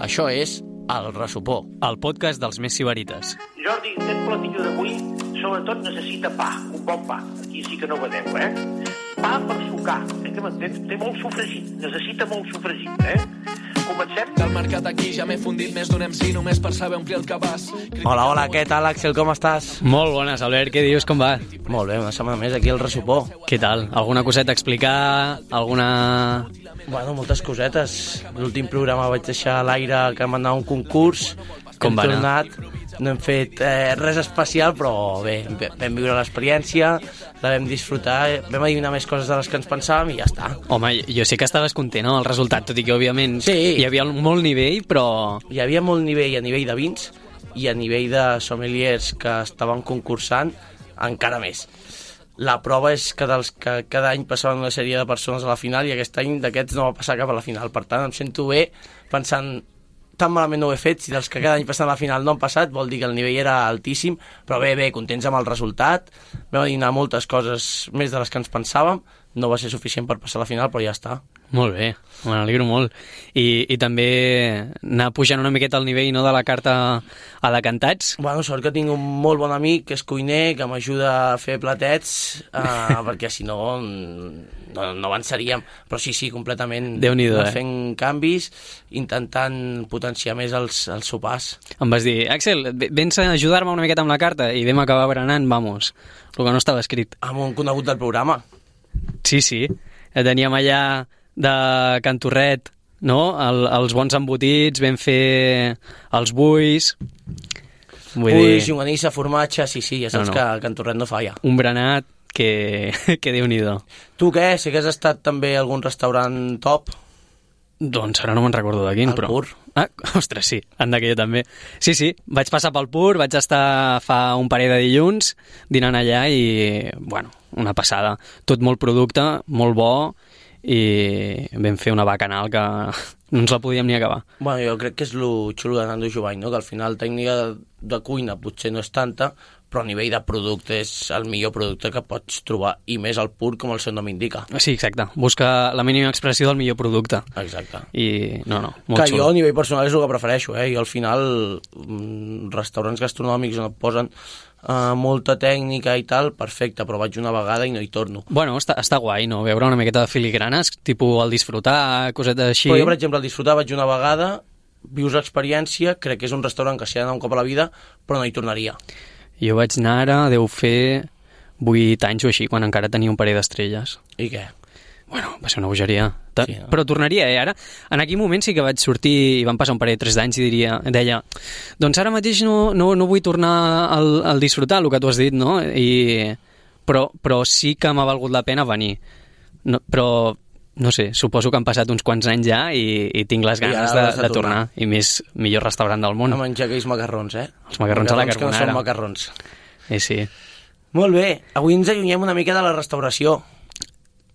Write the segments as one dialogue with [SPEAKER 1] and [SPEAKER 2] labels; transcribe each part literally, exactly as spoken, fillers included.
[SPEAKER 1] Això és El Ressopó,
[SPEAKER 2] el podcast dels més sibarites.
[SPEAKER 3] Jordi, aquest platillo d'avui sobretot necessita pa, un bon pa. Aquí sí que no vedeu, eh? Pa per sucar, eh, que m'entens? Té molt sofregit, necessita molt sofregit, eh? Comencem?
[SPEAKER 4] Del mercat aquí ja m'he fundit més d'un M C només per saber omplir el cabàs.
[SPEAKER 1] Hola, hola, què tal, Àxel, com estàs?
[SPEAKER 2] Molt bones, Albert, què dius, com va?
[SPEAKER 1] Molt bé, una setmana més aquí al Ressopó.
[SPEAKER 2] Què tal? Alguna coseta a explicar? Alguna...
[SPEAKER 1] Bueno, moltes cosetes. L'últim programa vaig deixar a l'aire que vam anar a un concurs.
[SPEAKER 2] Com va
[SPEAKER 1] hem
[SPEAKER 2] anar?
[SPEAKER 1] tornat, no hem fet eh, res especial, però bé, vam viure l'experiència, la vam disfrutar, vam adivinar més coses de les que ens pensàvem i ja està.
[SPEAKER 2] Home, jo sé que estaves content, no?, el resultat, tot i que, òbviament,
[SPEAKER 1] sí,
[SPEAKER 2] hi havia molt nivell, però...
[SPEAKER 1] Hi havia molt nivell a nivell de vins i a nivell de sommeliers que estaven concursant, encara més. La prova és que dels que cada any passaven una sèrie de persones a la final i aquest any d'aquests no va passar cap a la final. Per tant, em sento bé pensant tan malament no ho he fet, si dels que cada any passen a la final no han passat, vol dir que el nivell era altíssim, però bé, bé, contents amb el resultat. Vam adivinar moltes coses més de les que ens pensàvem, no va ser suficient per passar a la final, però ja està.
[SPEAKER 2] Molt bé, me n'alegro molt. I, I també anar pujant una miqueta el nivell, no?, de la carta a decantats.
[SPEAKER 1] Bueno, sort que tinc un molt bon amic que és cuiner, que m'ajuda a fer platets, eh, perquè si no, no no avançaríem. Però sí, sí, completament.
[SPEAKER 2] Déu-n'hi-do, eh?
[SPEAKER 1] Fent canvis, intentant potenciar més els, els sopars.
[SPEAKER 2] Em vas dir, Àxel, vens a ajudar-me una miqueta amb la carta, i vam acabar berenant, vamos, el que no estava escrit.
[SPEAKER 1] Amb un conegut del programa.
[SPEAKER 2] Sí, sí, teníem allà de Cantorret, no?, El, els bons embotits, vam fer els buis... Vull
[SPEAKER 1] Buis,
[SPEAKER 2] dir,
[SPEAKER 1] llonganissa, formatge, sí, sí, ja saps
[SPEAKER 2] No, no.
[SPEAKER 1] que a Cantorret no falla.
[SPEAKER 2] un berenat que, que Déu-n'hi-do.
[SPEAKER 1] Tu què? Si hagués estat també a algun restaurant top?
[SPEAKER 2] Doncs ara no me'n recordo de quin,
[SPEAKER 1] El
[SPEAKER 2] però...
[SPEAKER 1] Pur.
[SPEAKER 2] Ah, ostres, sí, anda que jo també. Sí, sí, vaig passar pel Pur, vaig estar fa un parell de dilluns dinant allà i, bueno, una passada. Tot molt producte, molt bo, i vam fer una bacanal que no ens la podíem ni acabar.
[SPEAKER 1] Bueno, jo crec que és lo xulo de Nando Jovany, no? Que al final tècnica de, de cuina potser no és tanta, però a nivell de producte és el millor producte que pots trobar, i més el Pur, com el seu nom indica.
[SPEAKER 2] Sí, exacte, busca la mínima expressió del millor producte.
[SPEAKER 1] Exacte.
[SPEAKER 2] I no, no, molt
[SPEAKER 1] Que
[SPEAKER 2] xulo.
[SPEAKER 1] jo a nivell personal és el que prefereixo, eh? I al final mm, restaurants gastronòmics on et posen uh, molta tècnica i tal, perfecte, però vaig una vegada i no hi torno.
[SPEAKER 2] Bueno, està, està guai, no?, veure una miqueta de filigranes, tipus el disfrutar, cosetes així.
[SPEAKER 1] Però jo, per exemple, al disfrutar vaig una vegada, vius l'experiència, crec que és un restaurant que s'hi ha d'anar un cop a la vida, però no hi tornaria.
[SPEAKER 2] Jo vaig anar ara, deu fer vuit anys o així, quan encara tenia un parell d'estrelles.
[SPEAKER 1] I què?
[SPEAKER 2] Bueno, va ser una bogeria. Ta-
[SPEAKER 1] Sí, no?
[SPEAKER 2] Però tornaria, eh, ara. En aquell moment sí que vaig sortir i van passar un parell de tres d'anys i diria, deia, doncs ara mateix no, no, no vull tornar al, al disfrutar, el que tu has dit, no? I, però, però sí que m'ha valgut la pena venir. No, però, no sé, suposo que han passat uns quants anys ja i, i tinc les
[SPEAKER 1] I
[SPEAKER 2] ganes
[SPEAKER 1] ara
[SPEAKER 2] de,
[SPEAKER 1] has de
[SPEAKER 2] de tornar.
[SPEAKER 1] tornar.
[SPEAKER 2] I més, millor restaurant del món.
[SPEAKER 1] A menjar aquells macarrons, eh?
[SPEAKER 2] Els macarrons a la
[SPEAKER 1] que no
[SPEAKER 2] carbonara.
[SPEAKER 1] són macarrons.
[SPEAKER 2] Eh, sí.
[SPEAKER 1] Molt bé, avui ens allunyem una mica de la restauració.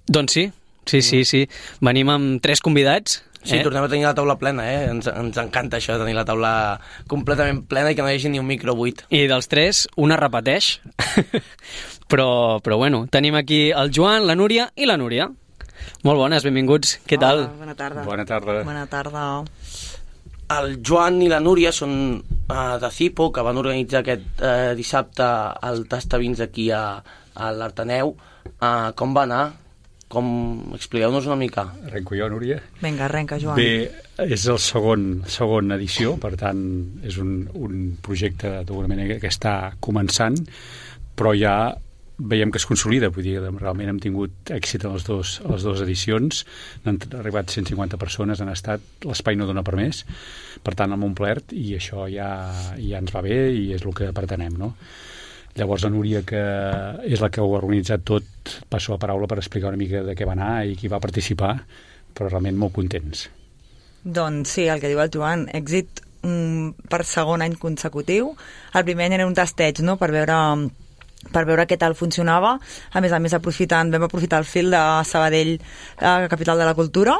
[SPEAKER 2] Doncs sí, sí, sí, sí. Venim amb tres convidats.
[SPEAKER 1] Sí,
[SPEAKER 2] eh?
[SPEAKER 1] tornem a tenir la taula plena, eh? Ens, ens encanta això, de tenir la taula completament plena i que no hi hagi ni un micro buit.
[SPEAKER 2] I dels tres, una repeteix. però, però bueno, tenim aquí el Joan, la Núria i la Núria. Molt bones, benvinguts. Què tal?
[SPEAKER 5] Hola, bona tarda.
[SPEAKER 6] Bona tarda.
[SPEAKER 5] Bona tarda.
[SPEAKER 1] El Joan i la Núria són uh, de Cipo, que van organitzar aquest uh, dissabte el Tastavins aquí a, a l'Arteneu. Uh, com va anar? Com... Expliqueu-nos una mica.
[SPEAKER 6] Arrenco jo, Núria.
[SPEAKER 5] Vinga, arrenca, Joan.
[SPEAKER 6] Bé, és el segon, segon edició, per tant, és un, un projecte d'alguna manera que està començant, però ja veiem que es consolida, vull dir, realment hem tingut èxit en les, dos, a les dues edicions, han arribat cent cinquanta persones, han estat, l'espai no dona per més, per tant, hem omplert, i això ja, ja ens va bé i és el que pretenem, no? Llavors la Núria, que és la que ho ha organitzat tot, passo la paraula per explicar una mica de què va anar i qui va participar, però realment molt contents.
[SPEAKER 5] Doncs sí, el que diu el Joan, èxit um, per segon any consecutiu. El primer any era un tasteig, no?, per veure per veure què tal funcionava. A més a més, aprofitant, vam aprofitar el fil de Sabadell, la capital de la cultura,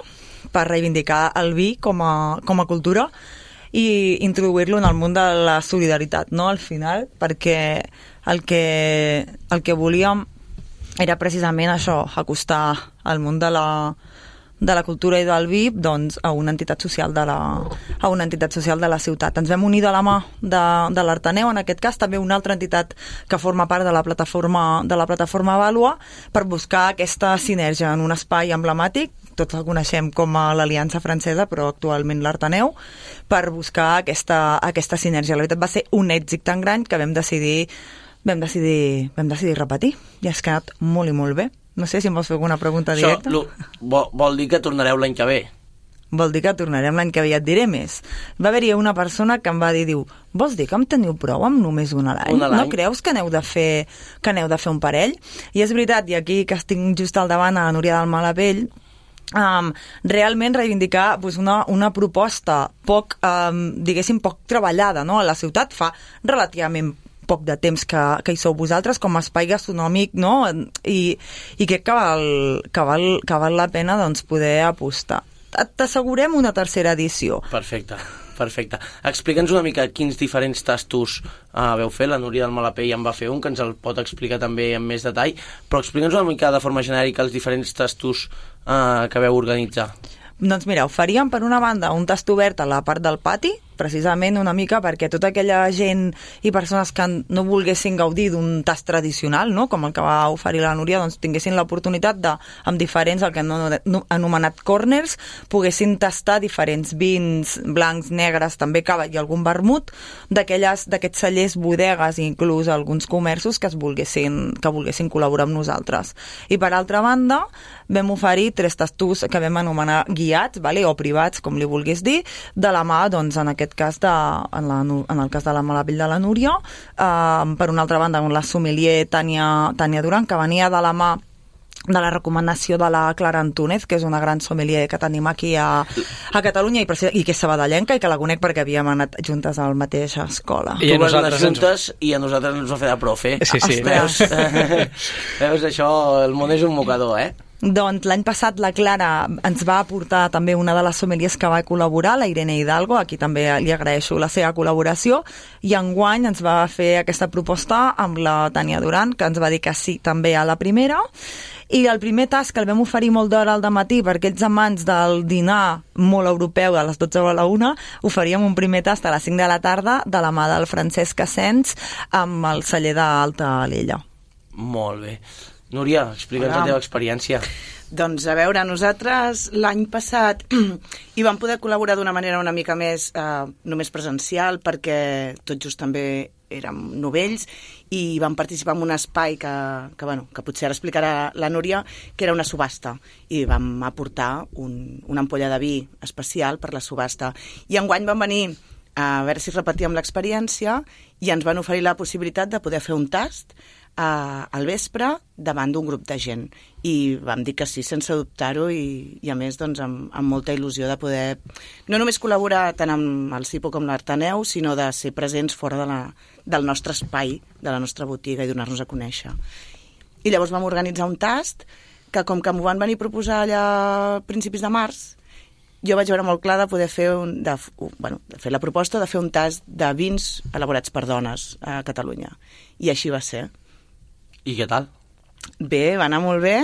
[SPEAKER 5] per reivindicar el vi com a, com a cultura i introduir-lo en el món de la solidaritat, no?, al final, perquè el que, el que volíem era precisament això, acostar el món de la, de la cultura i del vi doncs, a una entitat social de la, a una entitat social de la ciutat. Ens vam unir de la mà de, de l'Artaneu, en aquest cas també una altra entitat que forma part de la plataforma de la plataforma Vàlua, per buscar aquesta sinergia en un espai emblemàtic, tots el coneixem com a l'Aliança Francesa, però actualment l'Artaneu, per buscar aquesta, aquesta sinergia. La veritat va ser un èxit tan gran que vam decidir vam decidir, vam decidir repetir i ha quedat molt i molt bé. No sé si em vols fer alguna pregunta directa.
[SPEAKER 1] Això vol, vol dir que tornareu l'any que ve?
[SPEAKER 5] Vol dir que tornarem l'any que ve, et diré més. Va haver-hi una persona que em va dir, diu, vols dir que em teniu prou amb només una a l'any? No creus que aneu de fer que aneu de fer un parell? I és veritat, i aquí que estic just al davant a la Núria del Malapell, um, realment reivindicar pues, una, una proposta poc, um, diguéssim, poc treballada, no? A la ciutat fa relativament poc de temps que, que hi sou vosaltres com a espai gastronòmic, no? I, i crec que val, que val, que val la pena doncs, poder apostar. T'assegurem una tercera edició.
[SPEAKER 1] Perfecte, perfecte. Explica'ns una mica quins diferents tastos uh, veu fer. La Núria del Malapell en va fer un, que ens el pot explicar també en més detall, però explica'ns una mica de forma genèrica els diferents tastos uh, que veu organitzar.
[SPEAKER 5] Doncs mira, ho faríem per una banda un tast obert a la part del pati, precisament una mica perquè tota aquella gent i persones que no volguessin gaudir d'un tast tradicional, no? Com el que va oferir la Núria, doncs tinguessin l'oportunitat de, amb diferents, el que han anomenat corners, poguessin tastar diferents vins blancs, negres, també cava i algun vermut, d'aquests cellers, bodegues i inclús alguns comerços que es volguessin, que volguessin col·laborar amb nosaltres. I per altra banda, vam oferir tres tastos que vam anomenar guiats, vale? O privats, com li vulguis dir, de la mà, doncs, en aquest cas de, en, la, en el cas de la Malapell de la Núria, eh, per una altra banda la sommelier Tània, Tània Duran, que venia de la mà de la recomanació de la Clara Antúnez, que és una gran sommelier que tenim aquí a, a Catalunya i, i que és sabadellenca i que la conec perquè havíem anat juntes a la mateixa escola.
[SPEAKER 1] I tu vas anar juntes ens... i a nosaltres ens va fer de profe.
[SPEAKER 2] Sí, sí.
[SPEAKER 1] Veus, veus, això, el món és un mocador, eh?
[SPEAKER 5] Doncs l'any passat la Clara ens va aportar també una de les sommeliers que va col·laborar, la Irene Hidalgo, aquí també li agraeixo la seva col·laboració, i enguany ens va fer aquesta proposta amb la Tània Duran, que ens va dir que sí també a la primera, i el primer tast que el vam oferir molt d'hora al dematí per aquells amants del dinar molt europeu a les dotze a la una, oferíem un primer tast a les cinc de la tarda de la mà del Francesc Asens amb el celler d'Alta Alella.
[SPEAKER 1] Molt bé. Núria, explica'ns la teva experiència.
[SPEAKER 7] Doncs a veure, nosaltres l'any passat hi vam poder col·laborar d'una manera una mica més eh, només presencial perquè tot just també érem novells i vam participar en un espai que, que, bueno, que potser ara explicarà la Núria, que era una subhasta, i vam aportar un, una ampolla de vi especial per la subhasta. I enguany vam venir a veure si repetíem l'experiència i ens van oferir la possibilitat de poder fer un tast Uh, al vespre davant d'un grup de gent i vam dir que sí sense dubtar-ho i, i a més doncs amb, amb molta il·lusió de poder no només col·laborar tant amb el Cipo com l'Artaneu, sinó de ser presents fora de la, del nostre espai, de la nostra botiga i donar-nos a conèixer. I llavors vam organitzar un tast que com que m'ho van venir a proposar allà a principis de març, jo vaig veure molt clar de poder fer un, de, bueno, de fer la proposta de fer un tast de vins elaborats per dones a Catalunya, i així va ser.
[SPEAKER 1] I què tal?
[SPEAKER 7] Bé, va anar molt bé,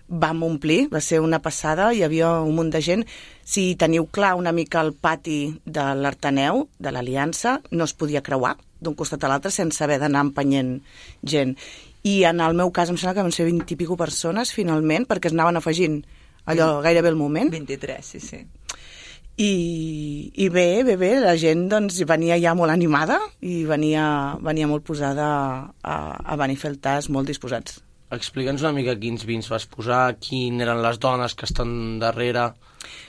[SPEAKER 7] vam omplir, va ser una passada, hi havia un munt de gent. Si teniu clar una mica el pati de l'Artaneu, de l'Aliança, no es podia creuar d'un costat a l'altre sense haver d'anar empenyent gent. I en el meu cas em sembla que van ser vint i pico persones finalment, perquè es anaven afegint allò gairebé al moment.
[SPEAKER 5] vint-i-tres, sí, sí.
[SPEAKER 7] I, i bé, bé, bé, la gent doncs, venia ja molt animada i venia, venia molt posada a, a venir a fer el tast, molt disposats.
[SPEAKER 1] Explica'ns una mica quins vins vas posar, quin eren les dones que estan darrere.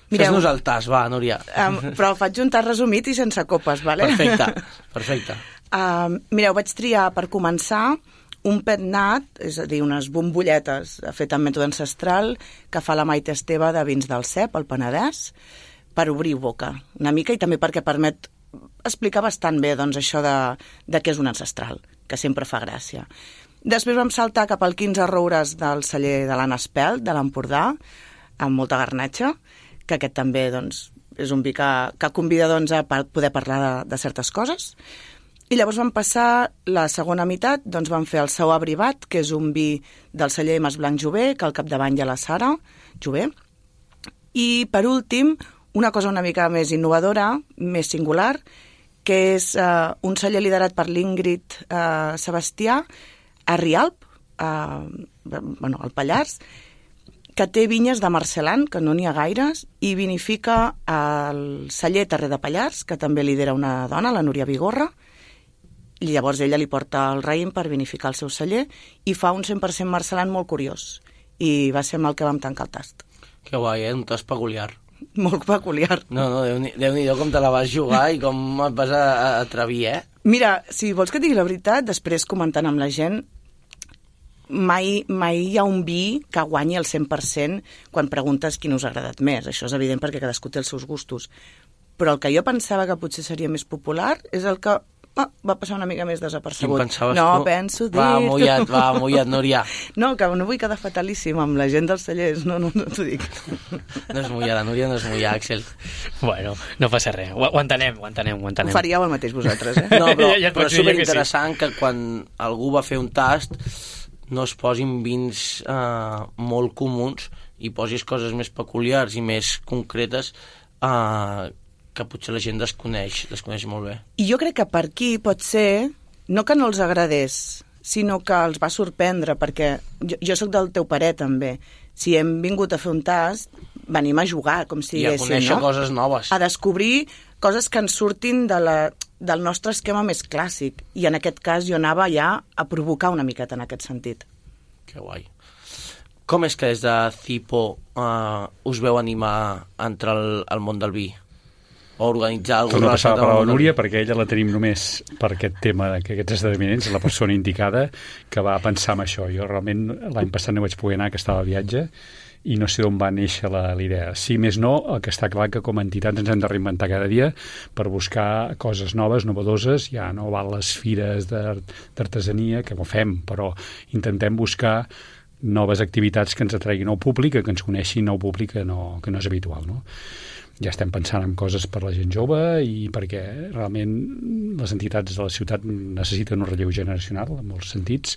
[SPEAKER 7] Fes-nos
[SPEAKER 1] el tast, va, Núria.
[SPEAKER 7] Um, però faig un tast resumit i sense copes, vale?
[SPEAKER 1] Perfecte, perfecte.
[SPEAKER 7] Uh, mireu, vaig triar per començar un pet nat, és a dir, unes bombolletes fet amb mètode ancestral que fa la Maite Esteve de Vins del Cep, al Penedès, per obrir boca una mica i també perquè permet explicar bastant bé doncs, això de, de què és un ancestral, que sempre fa gràcia. Després vam saltar cap al quinze roures del celler de l'Anna Espelt, de l'Empordà, amb molta garnatxa, que aquest també doncs, és un vi que, que convida doncs, a poder parlar de, de certes coses. I llavors vam passar la segona meitat, doncs vam fer el Sau Abrivat, que és un vi del celler Mas Blanc Jover, que al capdavant hi ha la Sara Jover, I, per últim, una cosa una mica més innovadora, més singular, que és uh, un celler liderat per l'Ingrid uh, Sebastià, a Rialp, uh, bueno, al Pallars, que té vinyes de Marcelan, que no n'hi ha gaires, i vinifica el celler Terrer de Pallars, que també lidera una dona, la Núria Vigorra, i llavors ella li porta el raïm per vinificar el seu celler, i fa un cent per cent Marcelan molt curiós, i va ser amb el que vam tancar el tast.
[SPEAKER 1] Que guai, eh? Un tast peculiar.
[SPEAKER 7] Molt peculiar.
[SPEAKER 1] No, no, Déu-n'hi-do com te la vas jugar i com et vas a, a atrevir, eh?
[SPEAKER 7] Mira, si vols que et digui la veritat, després comentant amb la gent, mai, mai hi ha un vi que guanyi el cent per cent quan preguntes quin us ha agradat més. Això és evident perquè cadascú té els seus gustos. Però el que jo pensava que potser seria més popular és el que ah, va passar una mica més desapercebut.
[SPEAKER 1] Quin pensaves
[SPEAKER 7] no,
[SPEAKER 1] tu?
[SPEAKER 7] penso dir...
[SPEAKER 1] Va, mullat, va, mullat, Núria.
[SPEAKER 7] No, que no vull quedar fatalíssim amb la gent dels cellers, no, no, no t'ho dic.
[SPEAKER 1] No és mullar, la Núria no és mullar, Axel.
[SPEAKER 2] Bueno, no passa res, ho, ho entenem, ho entenem, ho entenem.
[SPEAKER 7] Ho faríeu el mateix vosaltres, eh?
[SPEAKER 1] No, però,
[SPEAKER 2] Ja- ja et
[SPEAKER 1] però
[SPEAKER 2] pots
[SPEAKER 1] és
[SPEAKER 2] dir que
[SPEAKER 1] superinteressant que, que quan algú va fer un tast no es posin vins eh, molt comuns i posis coses més peculiars i més concretes eh, que potser la gent desconeix, desconeix molt bé.
[SPEAKER 7] I jo crec que per aquí pot ser, no que no els agradés, sinó que els va sorprendre, perquè jo, jo sóc del teu parer també. Si hem vingut a fer un tast, venim a jugar, com si
[SPEAKER 1] I a
[SPEAKER 7] diguéssim,
[SPEAKER 1] conèixer
[SPEAKER 7] no?
[SPEAKER 1] coses noves.
[SPEAKER 7] A descobrir coses que ens surtin de la, del nostre esquema més clàssic. I en aquest cas jo anava ja a provocar una miqueta en aquest sentit.
[SPEAKER 1] Que guai. Com és que des de Cipo eh, us veu animar a entrar al, al món del vi? O organitzar alguna
[SPEAKER 6] Torno a passar
[SPEAKER 1] cosa
[SPEAKER 6] per la
[SPEAKER 1] del món del
[SPEAKER 6] Núria
[SPEAKER 1] vi?
[SPEAKER 6] perquè ella la tenim només per aquest tema, que aquests esdeveniments, la persona indicada que va pensar en això. Jo realment l'any passat no vaig poder anar, que estava a viatge, i no sé d'on va néixer la, la idea. Si més no, el que està clar que com a entitats ens hem de reinventar cada dia per buscar coses noves, novedoses. Ja no val les fires d'artesania, que ho fem, però intentem buscar noves activitats que ens atreguin nou públic, que ens coneixin nou públic que no, que no és habitual, no? Ja estem pensant en coses per la gent jove i perquè realment les entitats de la ciutat necessiten un relleu generacional en molts sentits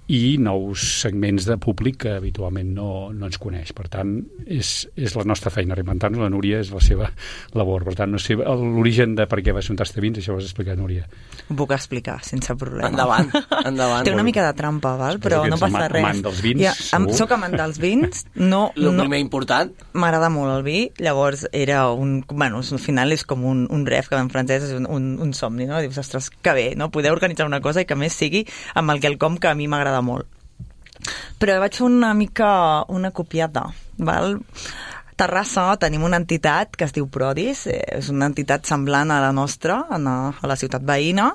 [SPEAKER 6] i nous segments de públic que habitualment no, no ens coneix. Per tant, és, és la nostra feina reinventar-nos. La Núria és la seva labor. Per tant, no sé l'origen de per què va ser un tast de vins, això ho has explicat, Núria.
[SPEAKER 5] Ho puc explicar, sense problema.
[SPEAKER 1] Endavant, endavant.
[SPEAKER 5] Té una mica de trampa, val? Però
[SPEAKER 6] que
[SPEAKER 5] no
[SPEAKER 6] ets
[SPEAKER 5] passa
[SPEAKER 6] amant-
[SPEAKER 5] res.
[SPEAKER 6] amant dels vins,
[SPEAKER 5] ja, am,
[SPEAKER 6] segur.
[SPEAKER 5] soc amant dels vins, no...
[SPEAKER 1] El
[SPEAKER 5] no
[SPEAKER 1] primer important,
[SPEAKER 5] M'agrada molt el vi, llavors era un... Bueno, al final és com un, un ref, que en francès és un, un, un somni, no? Dius, ostres, que bé, no? Poder organitzar una cosa i que a més sigui amb el quelcom que a mi m'agrada molt. Però vaig fer una mica una copiata, val? Terrassa tenim una entitat que es diu Prodis, eh, és una entitat semblant a la nostra, a la, a la ciutat veïna,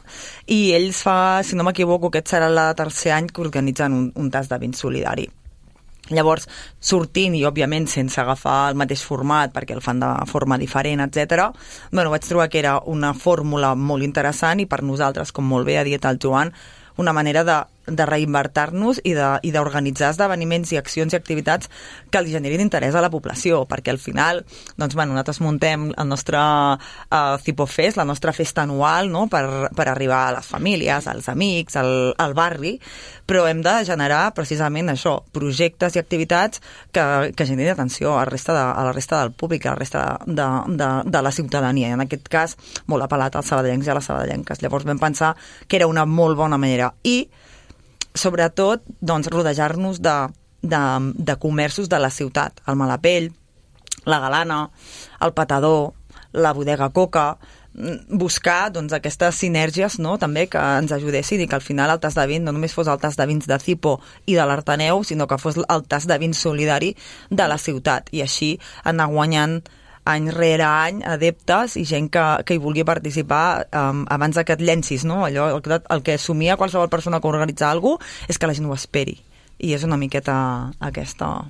[SPEAKER 5] i ells fa, si no m'equivoco, aquest serà el tercer any que organitzen un, un tast de vins solidari. Llavors, sortint i, òbviament, sense agafar el mateix format, perquè el fan de forma diferent, etcètera, bueno, vaig trobar que era una fórmula molt interessant i per nosaltres, com molt bé ha dit el Joan, una manera de, de reinvertir-nos i de- i d'organitzar esdeveniments i accions i activitats que li generin interès a la població, perquè al final, doncs, bueno, nosaltres muntem el nostre uh, Cipofest, la nostra festa anual, no?, per, per arribar a les famílies, als amics, al, al barri, però hem de generar precisament això, projectes i activitats que, que generin atenció a la resta, de, a la resta del públic, a la resta de, de, de la ciutadania. En aquest cas, molt apel·lat als sabadellencs i a les sabadellenques. Llavors vam pensar que era una molt bona manera. I, sobretot, doncs, rodejar-nos de, de, de comerços de la ciutat. El Malapell, la Galana, el Patador, la Bodega Coca, buscar doncs, aquestes sinergies, no?, també que ens ajudessin i que al final el tast de vins no només fos el tast de vins de Cipo i de l'Artaneu, sinó que fos el tast de vins solidari de la ciutat, i així anar guanyant any rere any adeptes i gent que, que hi vulgui participar um, abans que et llencis, no? Allò, el, que- el que somia qualsevol persona que organitza alguna cosa és que la gent ho esperi, i és una miqueta aquesta...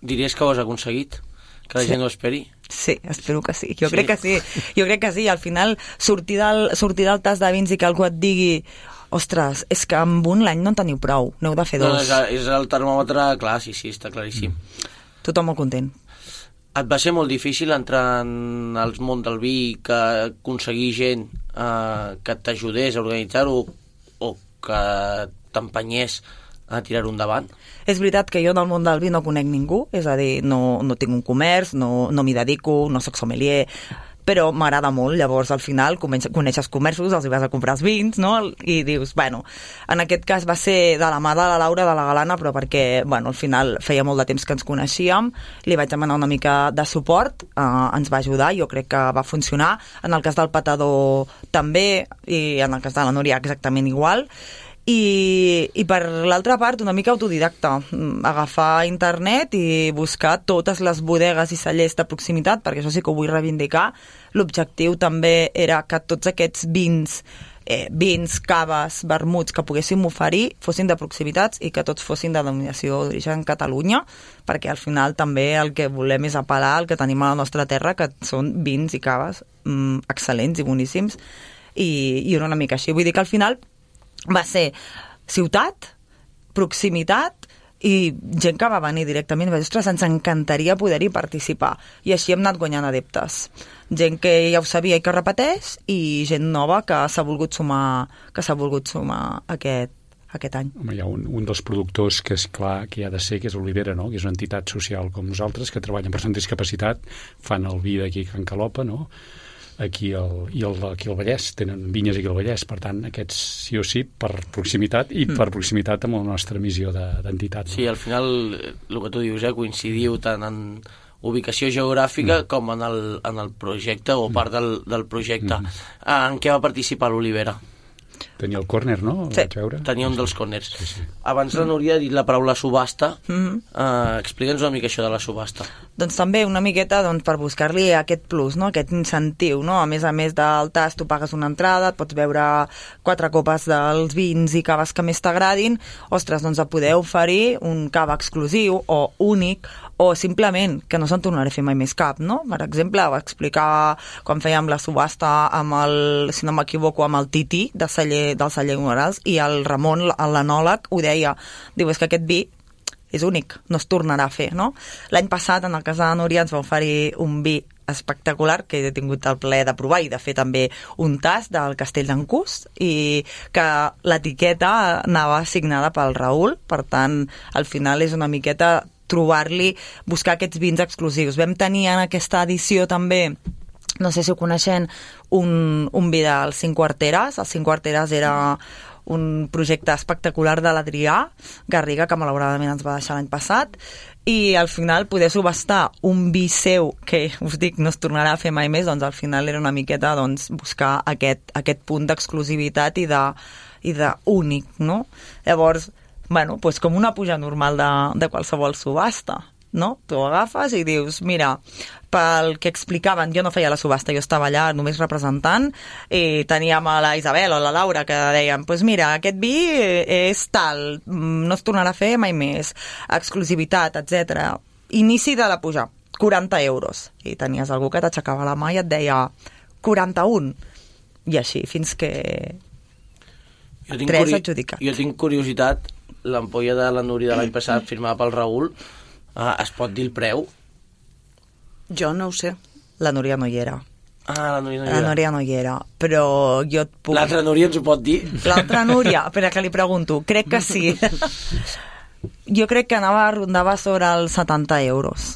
[SPEAKER 1] diries que ho has aconseguit? Que la
[SPEAKER 5] Sí.
[SPEAKER 1] gent ho esperi?
[SPEAKER 5] Sí, espero que sí. Jo
[SPEAKER 1] Sí?
[SPEAKER 5] crec que sí. Jo crec que sí. Al final, sortir del, sortir del tast de vins i que algú et digui ostres, és que amb un l'any no en teniu prou, n'heu de fer
[SPEAKER 1] No,
[SPEAKER 5] dos.
[SPEAKER 1] és, és el termòmetre, clar, sí, sí, està claríssim.
[SPEAKER 5] Tothom molt content.
[SPEAKER 1] Et va ser molt difícil entrar en el món del vi, que aconseguir gent eh, que t'ajudés a organitzar-ho o que t'empenyés a tirar-ho endavant?
[SPEAKER 5] És veritat que jo en el món del vi no conec ningú, és a dir, no, no tinc un comerç, no, no m'hi dedico, no soc sommelier, però m'agrada molt. Llavors, al final, coneixes comerços, els hi vas a comprar els vins, no? I dius, bueno, en aquest cas va ser de la mà de la Laura, de la Galana, però perquè, bueno, al final feia molt de temps que ens coneixíem, li vaig demanar una mica de suport, eh, ens va ajudar, jo crec que va funcionar. En el cas del Patador també, i en el cas de la Núria exactament igual. I, i per l'altra part una mica autodidacta, agafar internet i buscar totes les bodegues i cellers de proximitat, perquè això sí que ho vull reivindicar. L'objectiu també era que tots aquests vins eh, vins, caves, vermuts que poguéssim oferir fossin de proximitats i que tots fossin de denominació d'origen Catalunya, perquè al final també el que volem és apel·lar al que tenim a la nostra terra, que són vins i caves mm, excel·lents i boníssims, i, i una mica així. Vull dir que al final va ser ciutat, proximitat i gent que va venir directament i va dir, ostres, ens encantaria poder-hi participar. I així hem anat guanyant adeptes. Gent que ja ho sabia i que repeteix, i gent nova que s'ha volgut sumar, que s'ha volgut sumar aquest, aquest any.
[SPEAKER 6] Home, hi ha un, un dels productors que és clar que hi ha de ser, que és Olivera, no? Que és una entitat social com nosaltres, que treballen per persones amb discapacitat, fan el vi d'aquí a Can Calopa, no? Aquí al, i el, aquí al Vallès, tenen vinyes aquí al Vallès, per tant aquests sí o sí per proximitat i mm. per proximitat amb la nostra missió d'entitat. De, no?
[SPEAKER 1] Sí, al final el que tu dius, eh, coincidiu tant en ubicació geogràfica mm. com en el, en el projecte o part del, del projecte. Mm. En què va participar l'Olivera?
[SPEAKER 6] Tenia el córner, no?
[SPEAKER 5] Sí,
[SPEAKER 1] tenia un dels córners.
[SPEAKER 6] Sí, sí.
[SPEAKER 1] Abans la Núria ha dit la paraula subhasta.
[SPEAKER 5] Mm-hmm.
[SPEAKER 1] Uh, Explica'ns una mica això de la subhasta.
[SPEAKER 5] Doncs també una miqueta doncs, per buscar-li aquest plus, no? Aquest incentiu, no? A més a més del tast, tu pagues una entrada, et pots veure quatre copes dels vins i caves que més t'agradin. Ostres, doncs a poder oferir un cava exclusiu o únic, o simplement que no se'n tornarà a fer mai més cap, no? Per exemple, va explicar quan fèiem la subhasta amb el, si no m'equivoco, amb el Titi de celler, del celler Morals, i el Ramon, l'anòleg, ho deia, diu, és que aquest vi és únic, no es tornarà a fer, no? L'any passat, en el cas de la Núria, ens va oferir un vi espectacular, que he tingut el plaer de provar, i de fer també un tast del Castell d'en Cús, i que l'etiqueta anava signada pel Raül, per tant, al final és una miqueta trobar-li, buscar aquests vins exclusius. Vam tenir en aquesta edició també, no sé si ho coneixen, un, un vi dels Cinc Quarteres. Els Cinc Quarteres era un projecte espectacular de l'Adrià Garriga, que malauradament ens va deixar l'any passat, i al final poder subhastar un vi seu, que us dic, no es tornarà a fer mai més, doncs al final era una miqueta doncs, buscar aquest, aquest punt d'exclusivitat i de, i de únic, no? Llavors, bueno, doncs com una puja normal de, de qualsevol subhasta, no? Tu agafes i dius, mira, pel que explicaven, jo no feia la subhasta, jo estava allà només representant, i teníem a la Isabel o la Laura que deien, doncs pues mira, aquest vi és tal, no es tornarà a fer mai més, exclusivitat, etcètera. Inici de la puja, quaranta euros. I tenies algú que t'aixecava la mà i et deia quaranta-un. I així, fins que
[SPEAKER 1] jo tinc
[SPEAKER 5] tres
[SPEAKER 1] curi...
[SPEAKER 5] adjudicats.
[SPEAKER 1] Jo tinc curiositat, l'ampolla de la Núria de l'any passat firmada pel Raül, uh, es pot dir el preu?
[SPEAKER 7] Jo no ho sé.
[SPEAKER 5] La Núria no hi era.
[SPEAKER 1] Ah, la Núria no hi
[SPEAKER 5] era. La Núria no hi era, però jo et puc...
[SPEAKER 1] L'altra Núria ens ho pot dir?
[SPEAKER 5] L'altra Núria, espera que li pregunto, crec que sí. Jo crec que anava, rondava sobre els setanta euros.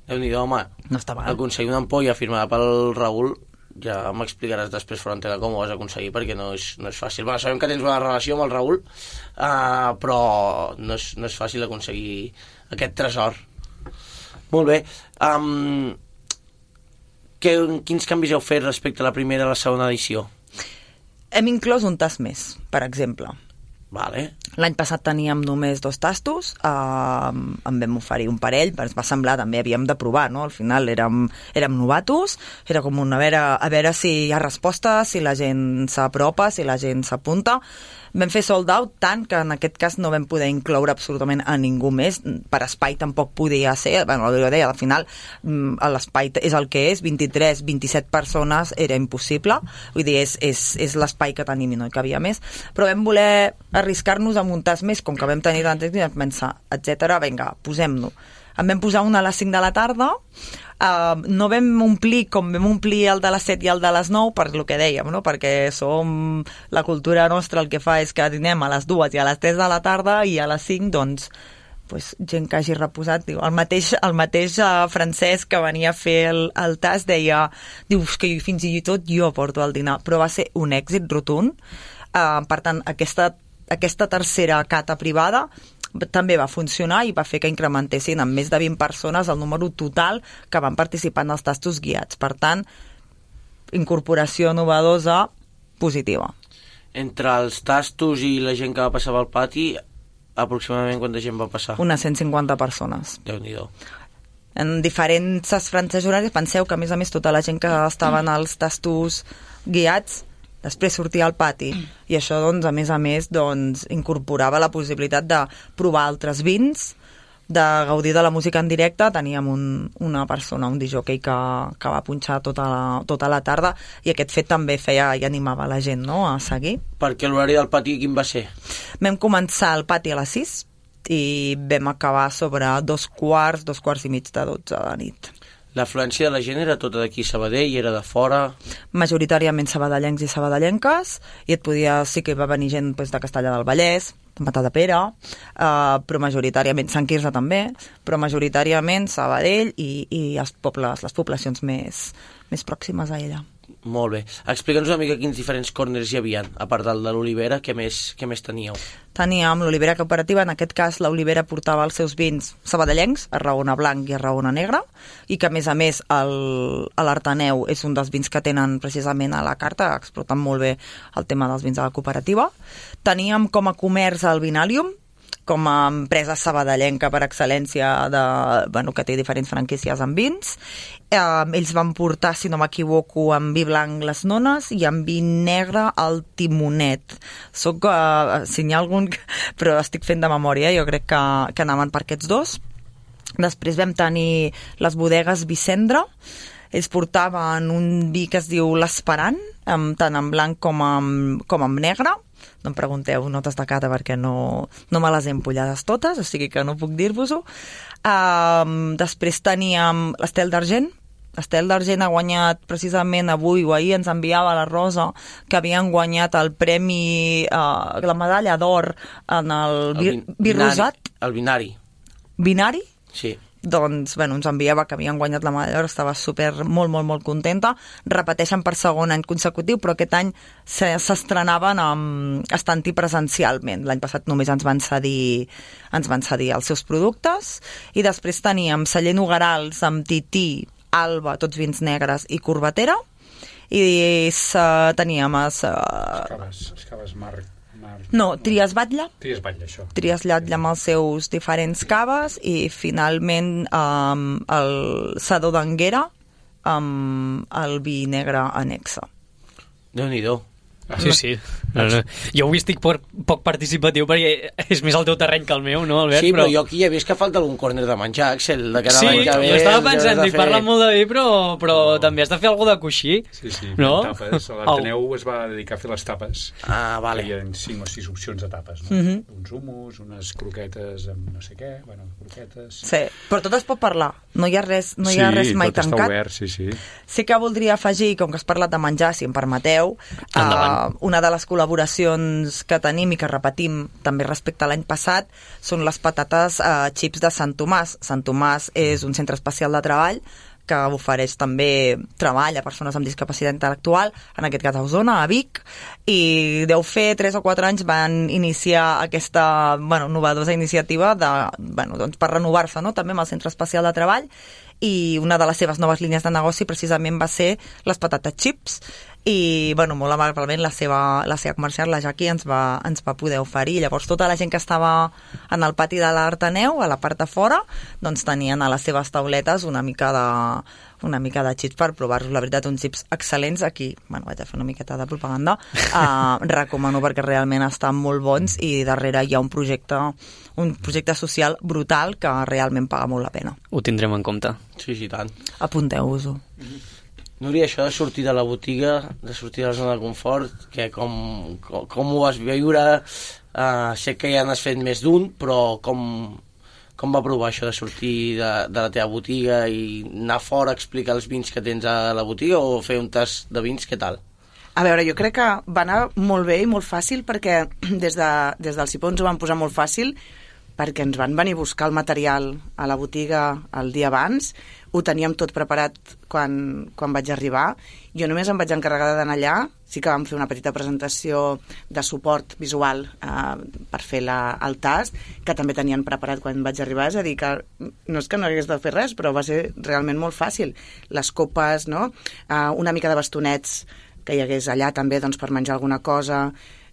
[SPEAKER 1] Déu-n'hi-do, home.
[SPEAKER 5] No està mal.
[SPEAKER 1] Aconseguir una ampolla firmada pel Raül, ja m'explicaràs després fora antena com ho vas aconseguir, perquè no és, no és fàcil. Bueno, sabem que tens una relació amb el Raül, uh, però no és, no és fàcil aconseguir aquest tresor. Molt bé. Um, que, quins canvis heu fet respecte a la primera i la segona edició?
[SPEAKER 5] Hem inclòs un tast més, per exemple.
[SPEAKER 1] Vale.
[SPEAKER 5] L'any passat teníem només dos tastos, eh, en vam oferir un parell, però ens va semblar, també havíem de provar, no? Al final érem, érem novatos, era com un a veure, a veure si hi ha resposta, si la gent s'apropa, si la gent s'apunta. Vam fer sold out tant que en aquest cas no vam poder incloure absolutament a ningú més. Per espai tampoc podia ser, bueno, jo deia, al final l'espai és el que és, vint-i-tres, vint-i-set persones era impossible, vull dir, és, és, és l'espai que tenim i no hi cabia més, però vam voler arriscar-nos a muntar més, com que vam tenir tant temps i vam pensar, etcètera, vinga, posem-nos. en vam posar una a les cinc de la tarda, Uh, no vam omplir com vam omplir el de les set i el de les nou per lo que dèiem, no? Perquè som la cultura nostra el que fa és que dinem a les dues i a les tres de la tarda i a les cinc doncs pues, gent que hagi reposat diu, el mateix, el mateix uh, francès que venia a fer el, el tast deia, dius que fins i tot jo porto el dinar, però va ser un èxit rotund. Uh, per tant, aquesta, aquesta tercera cata privada també va funcionar i va fer que incrementessin amb més de vint persones el número total que van participar en els tastos guiats. Per tant, incorporació novedosa positiva.
[SPEAKER 1] Entre els tastos i la gent que va passar pel pati, aproximadament quanta gent va passar?
[SPEAKER 5] Unes cent cinquanta persones.
[SPEAKER 1] Déu-n'hi-do.
[SPEAKER 5] En diferents franges horaris, penseu que a més a més tota la gent que estava en els tastos guiats després sortia al pati i això doncs a més a més doncs incorporava la possibilitat de provar altres vins, de gaudir de la música en directe. Teníem un, una persona, un disjockey que, que va punxar tota la, tota la tarda i aquest fet també feia i animava la gent, no?, a seguir.
[SPEAKER 1] Perquè l'horari del pati quin va ser?
[SPEAKER 5] Vam començar el pati a les sis i vam acabar sobre dos quarts, dos quarts i mig de dotze de la nit.
[SPEAKER 1] L'afluència de la gent era tota d'aquí Sabadell, era de fora?
[SPEAKER 5] Majoritàriament sabadellencs i sabadellenques, i et podia, sí que va venir gent pues, de Castellar del Vallès, de Matadepera, uh, però majoritàriament Sant Quirze també, però majoritàriament Sabadell i, i els pobles, les poblacions més, més pròximes a ella.
[SPEAKER 1] Molt bé. Explica'ns una mica quins diferents corners hi havia, a part del de l'Olivera, què més, què més teníeu?
[SPEAKER 5] Teníem l'Olivera Cooperativa, en aquest cas l'Olivera portava els seus vins sabadellencs, a Raona Blanc i a Raona Negra, i que a més a més l'Artaneu és un dels vins que tenen precisament a la carta, explotant molt bé el tema dels vins de la cooperativa. Teníem com a comerç el Vinalium, com a empresa sabadellenca per excel·lència de, bueno, que té diferents franquícies en vins. Eh, ells van portar, si no m'equivoco, en vi blanc les nones i en vi negre el timonet. Soc, eh, si n'hi ha algun, però estic fent de memòria, jo crec que, que anaven per aquests dos. Després vam tenir les bodegues Vicendra. Ells portaven un vi que es diu l'Esperant, tant en blanc com en, com en negre. No em pregunteu notes de cata perquè no, no me les he empollades totes, o sigui que no puc dir-vos-ho. Um, després teníem l'Estel d'Argent. L'Estel d'Argent ha guanyat precisament avui o ahir, ens enviava la Rosa, que havien guanyat el premi, uh, la medalla d'or en el, el vi, vi rosat.
[SPEAKER 1] El binari.
[SPEAKER 5] Binari?
[SPEAKER 1] Sí.
[SPEAKER 5] Doncs, bueno, ens enviava que havien guanyat la medalla d'or, estava super, molt, molt, molt contenta. Repeteixen per segon any consecutiu, però aquest any s'estrenaven amb estant-hi presencialment. L'any passat només ens van cedir ens van cedir els seus productes, i després teníem Celler Nogarals amb Tití, Alba, tots vins negres, i Corbatera, i uh, teníem es, uh...
[SPEAKER 6] Escaves, Escaves Marc.
[SPEAKER 5] No, Trias Batlle.
[SPEAKER 6] Trias Batlle, això.
[SPEAKER 5] Trias Batlle amb els seus diferents caves, i finalment um, el Sadó d'Anguera amb el vi negre anexa.
[SPEAKER 1] Déu-n'hi-do.
[SPEAKER 2] Sí, sí. No, no. Jo avui estic poc, poc participatiu perquè és més el teu terreny que el meu, no, Albert?
[SPEAKER 1] Sí, però, però jo aquí ja he vist que falta algun córner de menjar, Axel, de que
[SPEAKER 2] sí,
[SPEAKER 1] menjar bé.
[SPEAKER 2] Sí, jo estava pensant, dic,
[SPEAKER 1] fer...
[SPEAKER 2] parla molt de vi, però, però no. també has de fer alguna de coixí.
[SPEAKER 6] Sí, sí,
[SPEAKER 2] no?
[SPEAKER 6] tapes. L'Artaneu es va dedicar a fer les tapes.
[SPEAKER 1] Ah, vale.
[SPEAKER 6] Hi havia cinc o sis opcions de tapes, no?
[SPEAKER 5] Mm-hmm.
[SPEAKER 6] Uns humus, unes croquetes amb no sé què, bueno, croquetes...
[SPEAKER 5] Sí, però tot es pot parlar. No hi ha res, no hi ha
[SPEAKER 6] sí,
[SPEAKER 5] res mai
[SPEAKER 6] tot
[SPEAKER 5] tancat.
[SPEAKER 6] Està obert, sí, sí.
[SPEAKER 5] Sí que voldria afegir, com que has parlat de menjar, si em permeteu, uh, una de les col·laboracions que tenim i que repetim també respecte a l'any passat són les patates eh, xips de Sant Tomàs. Sant Tomàs és un centre especial de treball que ofereix també treball a persones amb discapacitat intel·lectual, en aquest cas a Osona, a Vic, i deu fer tres o quatre anys van iniciar aquesta bueno, novedosa iniciativa de, bueno, doncs per renovar-se, no?, també amb el centre especial de treball, i una de les seves noves línies de negoci precisament va ser les patates xips, i bueno, molt amablement la seva, la seva comercial, la Jaqui, ens va, ens va poder oferir. Llavors tota la gent que estava en el pati de l'Artaneu, a la part de fora, doncs tenien a les seves tauletes una mica de, una mica de xips per provar-los. La veritat, uns xips excel·lents. Aquí, bueno, vaig a fer una miqueta de propaganda, uh, recomano perquè realment estan molt bons, i darrere hi ha un projecte un projecte social brutal que realment paga molt la pena.
[SPEAKER 2] Ho tindrem en compte.
[SPEAKER 1] Sí, sí, tant.
[SPEAKER 5] Apunteu-vos-ho.
[SPEAKER 1] Núria, això de sortir de la botiga, de sortir de la zona de confort, que com, com, com ho vas viure? Uh, sé que ja n'has fet més d'un, però com, com va provar això de sortir de, de la teva botiga i anar fora a explicar els vins que tens a la botiga o fer un tast de vins, què tal?
[SPEAKER 7] A veure, jo crec que va anar molt bé i molt fàcil perquè des, de, des del Cipó ens ho van posar molt fàcil perquè ens van venir a buscar el material a la botiga el dia abans, ho teníem tot preparat quan, quan vaig arribar. Jo només em vaig encarregar d'anar allà, sí que vam fer una petita presentació de suport visual eh, per fer la, el tast, que també tenien preparat quan vaig arribar, és a dir, que no és que no hagués de fer res, però va ser realment molt fàcil. Les copes, no? eh, una mica de bastonets que hi hagués allà també doncs, per menjar alguna cosa.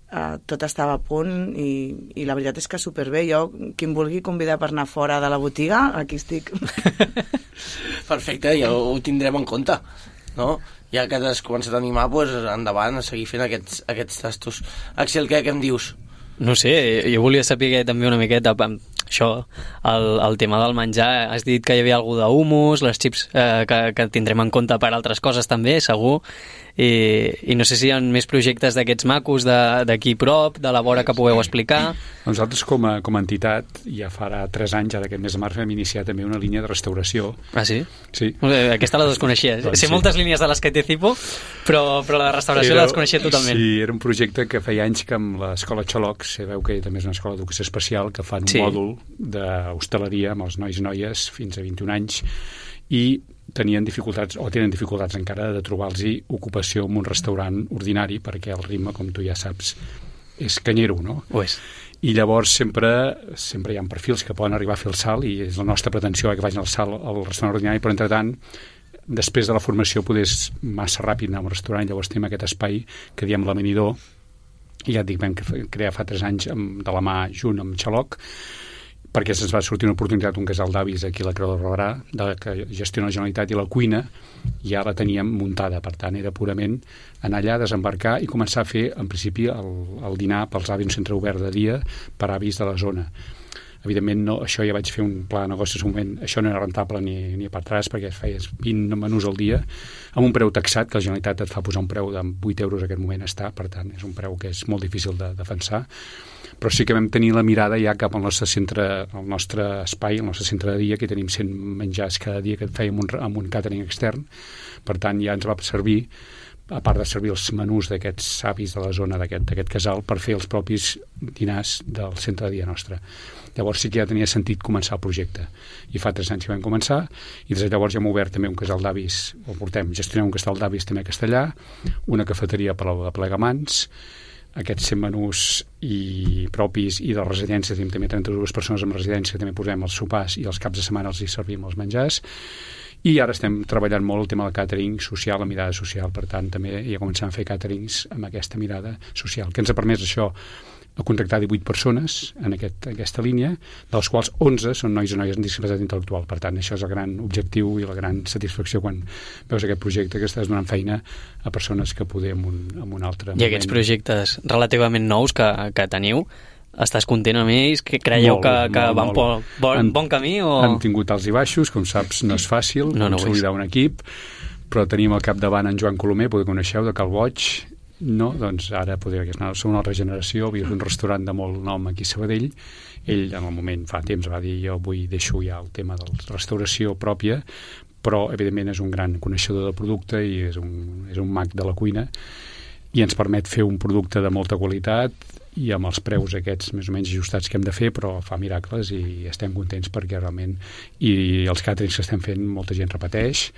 [SPEAKER 7] Uh, tot estava a punt i, i la veritat és que superbé. Jo, qui em vulgui convidar per anar fora de la botiga, aquí estic.
[SPEAKER 1] Perfecte, ja ho tindrem en compte, no? Ja que t'has començat a animar, doncs endavant, a seguir fent aquests, aquests tastos. Axel, què, què em dius?
[SPEAKER 2] No sé, jo volia saber també una miqueta això, el, el tema del menjar. Has dit que hi havia algú d'humus, les xips eh, que, que tindrem en compte per altres coses també, segur. I, i no sé si hi ha més projectes d'aquests macos d'aquí prop, de la vora que pugueu explicar.
[SPEAKER 6] Nosaltres com a, com a entitat ja farà tres anys, ara aquest mes de març, hem iniciat també una línia de restauració.
[SPEAKER 2] Ah, sí?
[SPEAKER 6] Sí.
[SPEAKER 2] Aquesta la desconeixia.
[SPEAKER 6] Doncs
[SPEAKER 2] sé
[SPEAKER 6] sí.
[SPEAKER 2] moltes línies de les que té Cipo, però, però la restauració era, la desconeixia totalment.
[SPEAKER 6] Sí, era un projecte que feia anys que amb l'escola Xaloc, sabeu que també és una escola d'educació especial, que fan un
[SPEAKER 2] sí.
[SPEAKER 6] mòdul d'hostaleria amb els nois i noies fins a vint-i-un anys, i tenien dificultats, o tenen dificultats encara, de trobar-los ocupació en un restaurant ordinari, perquè el ritme, com tu ja saps, és canyero, no?
[SPEAKER 2] Ho és.
[SPEAKER 6] I llavors sempre, sempre hi ha perfils que poden arribar a fer el salt, i és la nostra pretensió que vagin al salt al restaurant ordinari, però entretant, després de la formació, poder massa ràpid anar a un restaurant, llavors tenim aquest espai que diem l'amanidor, i ja et dic, vam crear fa tres anys amb, de la mà junt amb Xaloc, perquè se'ns va sortir una oportunitat, un casal d'avis aquí a la Creu de Barberà, de, que gestiona la Generalitat, i la cuina ja la teníem muntada, per tant era purament anar allà, desembarcar i començar a fer en principi el, el dinar pels avis, un centre obert de dia per avis de la zona. Evidentment, no, això ja vaig fer un pla de negoci en un moment, això no era rentable ni, ni per atràs, perquè es feies vint menús al dia, amb un preu taxat, que la Generalitat et fa posar un preu de vuit euros en aquest moment està, per tant, és un preu que és molt difícil de defensar, però sí que vam tenir la mirada ja cap al nostre centre, al nostre espai, al nostre centre de dia, que tenim cent menjars cada dia que fèiem un, amb un càtering extern, per tant ja ens va servir, a part de servir els menús d'aquests avis de la zona d'aquest casal, per fer els propis dinars del centre de dia nostre. Llavors sí que ja tenia sentit començar el projecte, i fa tres anys que vam començar, i des de llavors ja hem obert també un casal d'avis, o portem, gestionem un casal d'avis també a Castellà, una cafeteria per a Plegamans, aquests cent menús i propis i de residències, tenim també trenta-dues persones en residència, també posem els sopars i els caps de setmana els hi servim els menjars, i ara estem treballant molt el tema del càtering social, la mirada social, per tant també ja comencem a fer càterings amb aquesta mirada social, que ens ha permès això a contractar divuit persones en aquest, aquesta línia, de les quals onze són nois i noies amb discapacitat intel·lectual. Per tant, això és el gran objectiu i la gran satisfacció quan veus aquest projecte, que estàs donant feina a persones que poder en un, en un altre moment.
[SPEAKER 2] I aquests projectes relativament nous que, que teniu, estàs content amb ells? Que creieu molt, que, que molt, van molt. Por bon, bon camí? O...
[SPEAKER 6] Han tingut alts i baixos, com saps, no és fàcil no, no consolidar un equip, però tenim al capdavant en Joan Colomer, poder coneixeu, de Calboig. No, doncs ara podria que som una altra generació, havia un restaurant de molt nom aquí a Sabadell, ell en el moment fa temps va dir jo avui deixo ja el tema de la restauració pròpia, però evidentment és un gran coneixedor del producte i és un, és un mag de la cuina i ens permet fer un producte de molta qualitat i amb els preus aquests més o menys ajustats que hem de fer, però fa miracles i estem contents perquè realment i els càterings que estem fent molta gent repeteix,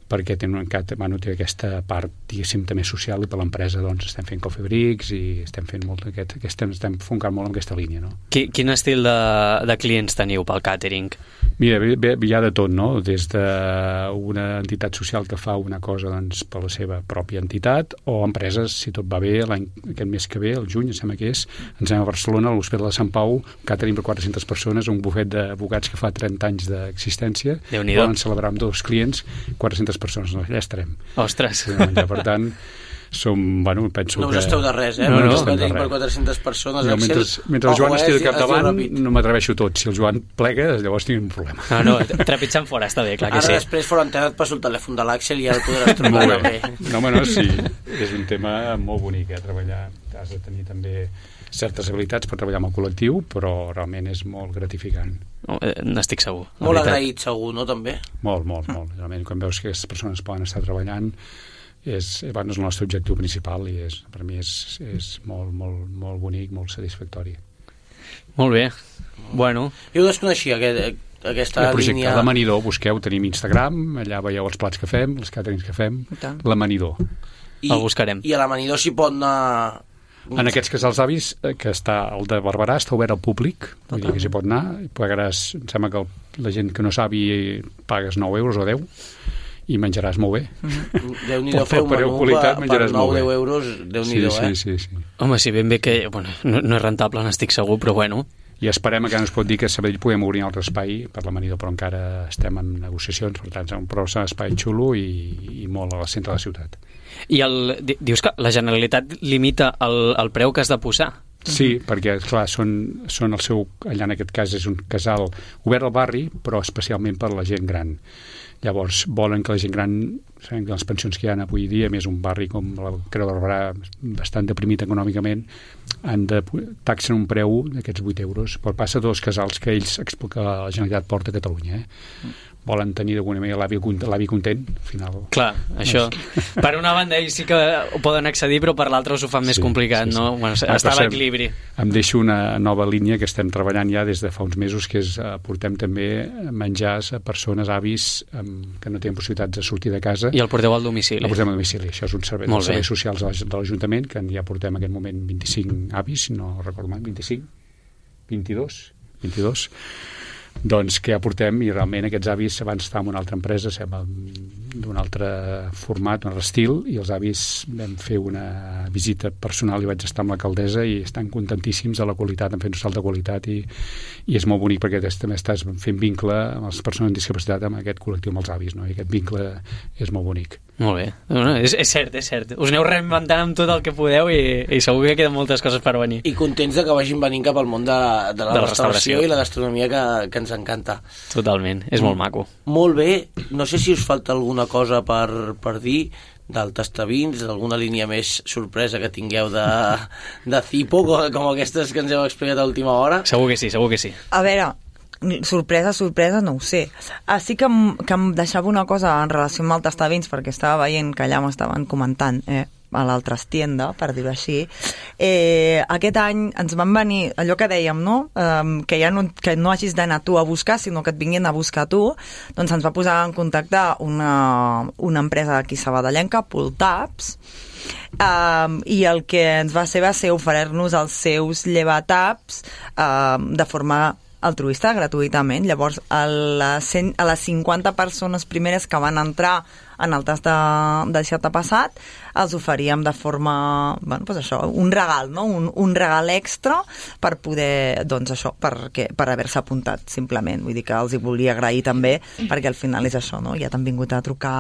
[SPEAKER 6] perquè tenen un cat, bueno, té aquesta part diguéssim també social i per l'empresa doncs estem fent coffee breaks i estem fent molt aquest, estem, estem foncant molt en aquesta línia, no?
[SPEAKER 2] Quin, quin estil de, de clients teniu pel càtering?
[SPEAKER 6] Mira, hi ha de tot, no? Des d'una entitat social que fa una cosa doncs, per la seva pròpia entitat o empreses, si tot va bé, l'any aquest mes que ve, el juny, em sembla que és, ens anem a Barcelona, a l'Hospital de Sant Pau, càtering per quatre-centes persones, un bufet d'advocats que fa trenta anys d'existència, volen celebrar amb dos clients, quatre-centes persones, no, allà estarem.
[SPEAKER 2] Ostres!
[SPEAKER 6] Per tant, som, bueno, penso
[SPEAKER 1] no
[SPEAKER 6] que...
[SPEAKER 1] us esteu de res, eh?
[SPEAKER 6] No, no,
[SPEAKER 1] no,
[SPEAKER 6] no,
[SPEAKER 1] no per quatre-centes persones,
[SPEAKER 6] no,
[SPEAKER 1] Axel,
[SPEAKER 6] mentre, mentre el Joan estigui al capdavant no m'atreveixo tot, si el Joan plega llavors tinc un problema.
[SPEAKER 2] Ah, no, trepitjant fora està bé, clar que
[SPEAKER 1] ara
[SPEAKER 2] sí.
[SPEAKER 1] Després fora enterat passo el telèfon de l'Axel i ja el podràs trucar també.
[SPEAKER 6] No, home, no, si, és un tema molt bonic, eh, treballar. Has de tenir també certes habilitats per treballar amb el col·lectiu, però realment és molt gratificant.
[SPEAKER 2] No, eh, n'estic segur.
[SPEAKER 1] Molt agraït, segur, no, també?
[SPEAKER 6] Molt, molt, molt. Realment, quan veus que aquestes persones poden estar treballant, és, bueno, és el nostre objectiu principal i és, per mi és, és molt, molt, molt bonic, molt satisfactori.
[SPEAKER 2] Molt bé. Bueno.
[SPEAKER 1] Jo ho desconeixia, aquest, aquesta
[SPEAKER 6] el projecte
[SPEAKER 1] línia...
[SPEAKER 6] L'Amanidor, busqueu, tenim Instagram, allà veieu els plats que fem, els càterings que fem, L'Amanidor.
[SPEAKER 1] I, el buscarem. I a l'Amanidor s'hi pot anar...
[SPEAKER 6] En aquests casals avis, que està el de Barberà, està obert al públic, vull dir que s'hi pot anar, pagaràs, em sembla que el, la gent que no sabi pagues nou euros o deu, i menjaràs molt bé.
[SPEAKER 1] Mm-hmm. Déu-n'hi-do fer un menú
[SPEAKER 6] qualitat,
[SPEAKER 1] per, per nou o deu euros, Déu-n'hi-do,
[SPEAKER 6] sí,
[SPEAKER 1] eh?
[SPEAKER 6] Sí, sí, sí.
[SPEAKER 2] Home, si ben bé que... Bueno, no, no és rentable, n'estic segur, però bueno...
[SPEAKER 6] I esperem que no es pot dir que a Sabadell puguem obrir un altre espai per l'Amanidor, però encara estem en negociacions, per tant, però és un espai xulo i, i molt al centre de la ciutat.
[SPEAKER 2] I el, dius que la Generalitat limita el, el preu que has de posar?
[SPEAKER 6] Sí, perquè, clar, són, són el seu... Allà en aquest cas és un casal obert al barri, però especialment per la gent gran. Llavors, volen que la gent gran, sabem que les pensions que hi ha avui dia, més un barri com la Creu de Barberà, bastant deprimit econòmicament, han de taxen un preu d'aquests vuit euros per passa dos casals que ells que la Generalitat porta a Catalunya. Eh? Volen tenir d'alguna manera l'avi content, al final.
[SPEAKER 2] Clar, això. Per una banda ells sí que ho poden accedir, però per l'altra s'ho fan més sí, complicat, sí, sí. No? Bueno, ah, està a l'equilibri.
[SPEAKER 6] Em deixo una nova línia que estem treballant ja des de fa uns mesos, que és portem també menjars a persones, avis, que no tenen possibilitats de sortir de casa.
[SPEAKER 2] I el porteu al domicili.
[SPEAKER 6] El portem al domicili. Això és un servei dels serveis socials de l'Ajuntament, que ja portem en aquest moment vint-i-cinc avis, no recordo mai, vint-i-cinc, vint-i-dos, vint-i-dos, doncs que ja portem, i realment aquests avis abans estàvem en una altra empresa, d'un altre format, un altre estil, i els avis vam fer una visita personal i vaig estar amb l'alcaldessa i estan contentíssims de la qualitat, han fet un salt de qualitat i, i és molt bonic perquè també estàs fent vincle amb les persones amb discapacitat, amb aquest col·lectiu, amb els avis, no? I aquest vincle és molt bonic.
[SPEAKER 2] Molt bé, no, és, és cert, és cert. Us aneu reinventant amb tot el que podeu i, i segur que queden moltes coses per venir.
[SPEAKER 1] I contents de que vagin venint cap al món de la, de la, de la restauració, restauració i la gastronomia que, que ens encanta.
[SPEAKER 2] Totalment, és molt maco.
[SPEAKER 1] Molt bé, no sé si us falta alguna cosa per, per dir del Tastavins, d'alguna línia més sorpresa que tingueu de, de Cipo, com, com aquestes que ens heu explicat a última hora.
[SPEAKER 2] Segur que sí, segur que sí.
[SPEAKER 5] A veure, sorpresa, sorpresa, no ho sé. Ah, sí que em, que em deixava una cosa en relació amb el Tastavins, perquè estava veient que allà m'estaven comentant, eh, a l'altra tienda, per dir-ho així. Eh, aquest any ens van venir, allò que dèiem, no? Um, que ja no, que no hagis d'anar tu a buscar, sinó que et vinguin a buscar tu, doncs ens va posar en contacte una, una empresa aquí sabadellenca, Pultaps, um, i el que ens va ser va ser oferir-nos els seus llevataps um, de forma altruista, gratuïtament. Llavors, a les, cent, a les cinquanta persones primeres que van entrar en el tast de, de dissabte passat, els oferíem de forma, bueno, pues això, un regal, no? Un, un regal extra per poder, doncs això, perquè, per haver-se apuntat, simplement. Vull dir que els hi volia agrair també, perquè al final és això, no? Ja t'han vingut a trucar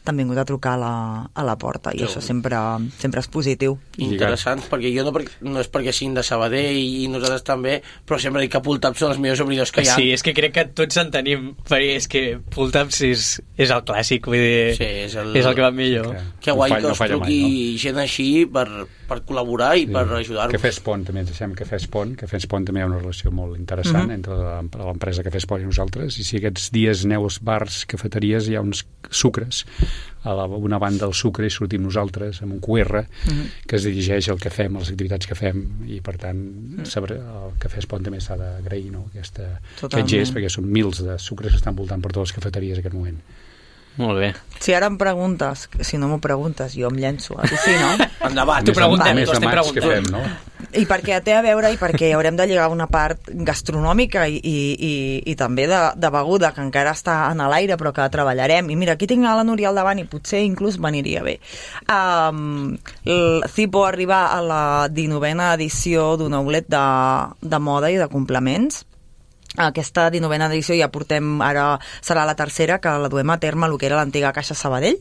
[SPEAKER 5] t'han vingut a trucar a la, a la porta i sí. Això sempre, sempre és positiu.
[SPEAKER 1] Interessant, perquè jo no, no és perquè siguin de Sabadell i nosaltres també, però sempre dic que Pultaps són els millors obridors que hi ha.
[SPEAKER 2] Sí, és que crec que tots en tenim, perquè és que Pultaps és, és el clàssic, vull dir, sí, és, el, és el que va millor. Que,
[SPEAKER 1] que guai no que us truqui mai, no? Gent així per, per col·laborar i sí. Per ajudar-vos.
[SPEAKER 6] Cafè Espont també, ens deixem Cafè Espont, Cafè Espont també hi ha una relació molt interessant mm-hmm. entre l'empresa Cafè Espont i nosaltres, i si aquests dies aneu als bars, cafeteries, hi ha uns sucres a la, una banda del sucre i sortim nosaltres amb un Q R mm-hmm. que es dirigeix al que fem, a les activitats que fem, i per tant saber, el Cafè Espont també s'ha d'agrair, no? Aquesta, aquest gest, perquè són mils de sucres que estan voltant per totes les cafeteries en aquest moment.
[SPEAKER 2] Molt bé.
[SPEAKER 5] Si ara em preguntes, si no m'ho preguntes, jo em llenço. Sí, no?
[SPEAKER 1] Endavant,
[SPEAKER 2] t'ho preguntem, t'ho estem preguntant.
[SPEAKER 6] Fem, no?
[SPEAKER 5] I perquè té a veure i perquè haurem de lligar una part gastronòmica i, i, i, i també de, de beguda, que encara està en l'aire però que treballarem. I mira, aquí tinc a la Núria al davant i potser inclús veniria bé. Um, el Cipo arriba a la dinovena edició d'un outlet de, de moda i de complements. Aquesta dinovena edició ja portem, ara serà la tercera, que la duem a terme el que era l'antiga Caixa Sabadell,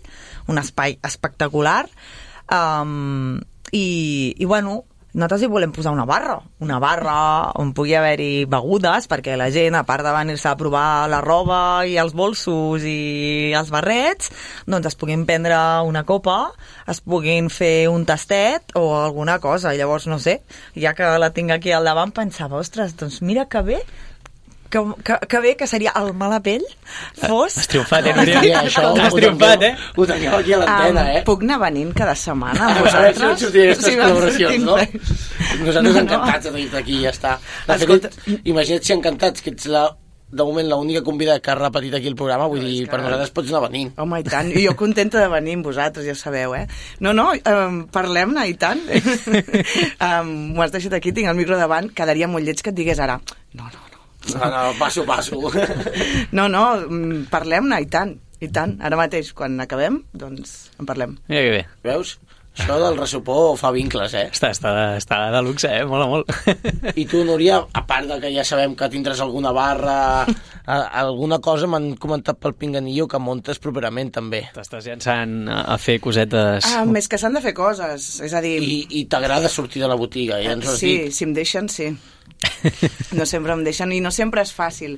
[SPEAKER 5] un espai espectacular, um, i, i bueno, nosaltres hi volem posar una barra, una barra on pugui haver-hi begudes, perquè la gent, a part de venir-se a provar la roba i els bolsos i els barrets, doncs es puguin prendre una copa, es puguin fer un tastet o alguna cosa. I llavors, no sé, ja que la tinc aquí al davant, pensava, ostres, doncs mira que bé, que, que, que bé que seria el mala pell fos...
[SPEAKER 2] Has triomfat, eh, Núria?
[SPEAKER 1] Sí, això
[SPEAKER 2] Has triomfat, eh?
[SPEAKER 1] Ho teníeu aquí a l'antena,
[SPEAKER 7] um,
[SPEAKER 1] eh?
[SPEAKER 7] Puc anar venint cada setmana amb
[SPEAKER 1] A veure si
[SPEAKER 7] vosaltres?
[SPEAKER 1] no sortirien aquestes
[SPEAKER 7] Sí,
[SPEAKER 1] col·laboracions, no?
[SPEAKER 7] sortim.
[SPEAKER 1] Nosaltres
[SPEAKER 7] No, no.
[SPEAKER 1] encantats de tenir-te aquí i ja està. De
[SPEAKER 7] Escolta-
[SPEAKER 1] fet, imagina't si encantats, que ets la, de moment l'única convidada que ha repetit aquí el programa, vull dir, per nosaltres pots anar venint.
[SPEAKER 7] Home, i tant. I jo contenta de venir amb vosaltres, ja sabeu, eh? No, no, um, parlem-ne, i tant. um, M'ho has deixat aquí, tinc el micro davant, quedaria molt lleig que et digués ara. No, no, no.
[SPEAKER 1] No, no, passo, passo.
[SPEAKER 7] No, no, mm, parlem-ne, i tant, i tant. Ara mateix, quan acabem, doncs en parlem.
[SPEAKER 2] Mira que bé.
[SPEAKER 1] Veus? Això del ressupor fa vincles, eh?
[SPEAKER 2] Està, està, està de luxe, eh? Mola molt.
[SPEAKER 1] I tu, Núria, a part de que ja sabem que tindràs alguna barra, a, alguna cosa m'han comentat pel Pinganillo que muntes properament, també.
[SPEAKER 2] T'estàs llançant a a fer cosetes...
[SPEAKER 7] Ah, més que s'han de fer coses, és a dir...
[SPEAKER 1] I, i t'agrada sortir de la botiga, ja ens ho has
[SPEAKER 7] sí,
[SPEAKER 1] dit.
[SPEAKER 7] si em deixen, sí. No sempre em deixen i no sempre és fàcil.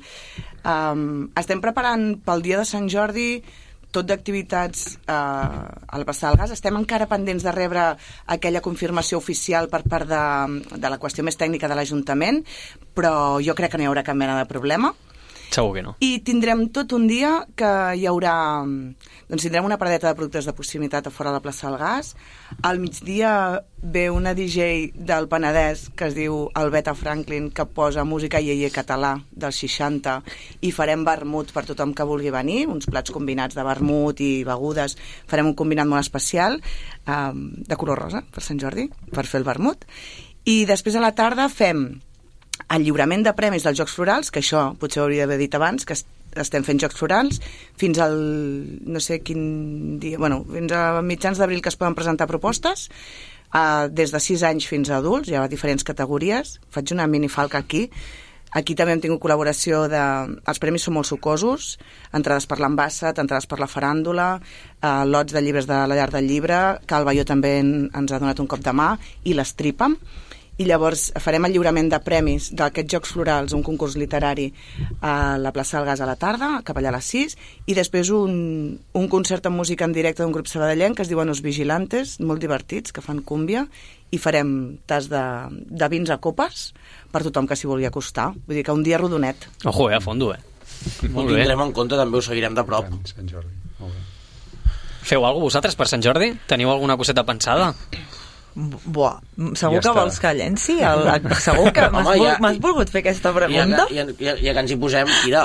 [SPEAKER 7] Um, estem preparant pel dia de Sant Jordi tot d'activitats uh, a la plaça del Gas. Estem encara pendents de rebre aquella confirmació oficial per part de, de la qüestió més tècnica de l'Ajuntament, però jo crec que no hi haurà cap mena de problema.
[SPEAKER 2] Segur que no.
[SPEAKER 7] I tindrem tot un dia que hi haurà... Doncs tindrem una paradeta de productes de proximitat a fora de la plaça del Gas. Al migdia ve una D J del Penedès que es diu Albeta Franklin, que posa música iaié català dels seixanta, i farem vermut per tothom que vulgui venir, uns plats combinats de vermut i begudes. Farem un combinat molt especial um, de color rosa per Sant Jordi, per fer el vermut. I després a la tarda fem el lliurament de premis dels Jocs Florals, que això potser ho hauria d'haver dit abans, que estem fent Jocs Florals fins al no sé quin dia, bueno, fins a mitjans d'abril que es poden presentar propostes, uh, des de sis anys fins a adults, hi ha diferents categories. Faig una minifalca aquí. Aquí també hem tingut col·laboració de... Els premis són molt sucosos, entrades per l'Ambassat, entrades per la faràndula, uh, lots de llibres de la llar del llibre, que el Baió també en, ens ha donat un cop de mà, i l'Estripa. I llavors farem el lliurament de premis d'aquests Jocs Florals, un concurs literari a la plaça del Gas a la tarda, cap allà a les sis, i després un, un concert amb música en directe d'un grup sabadellenc que es diuen Os Vigilantes, molt divertits, que fan cúmbia, i farem tas de, de vins a copes per tothom que s'hi vulgui acostar. Vull dir que un dia rodonet.
[SPEAKER 2] Ojo, eh, a fondo, eh?
[SPEAKER 1] Ho
[SPEAKER 2] Molt bé.
[SPEAKER 1] tindrem en compte, també ho seguirem de prop.
[SPEAKER 6] Sant Jordi. Molt bé.
[SPEAKER 2] Feu alguna cosa vosaltres per Sant Jordi? Teniu alguna coseta pensada?
[SPEAKER 5] Buah, segur
[SPEAKER 6] Ja
[SPEAKER 5] que
[SPEAKER 6] està.
[SPEAKER 5] vols que llenci? El, segur que m'has
[SPEAKER 1] Home,
[SPEAKER 5] vol,
[SPEAKER 1] ja-
[SPEAKER 5] m'has volgut fer aquesta
[SPEAKER 1] Ja,
[SPEAKER 5] pregunta?
[SPEAKER 1] ja, ja, ja que ens hi posem, tira.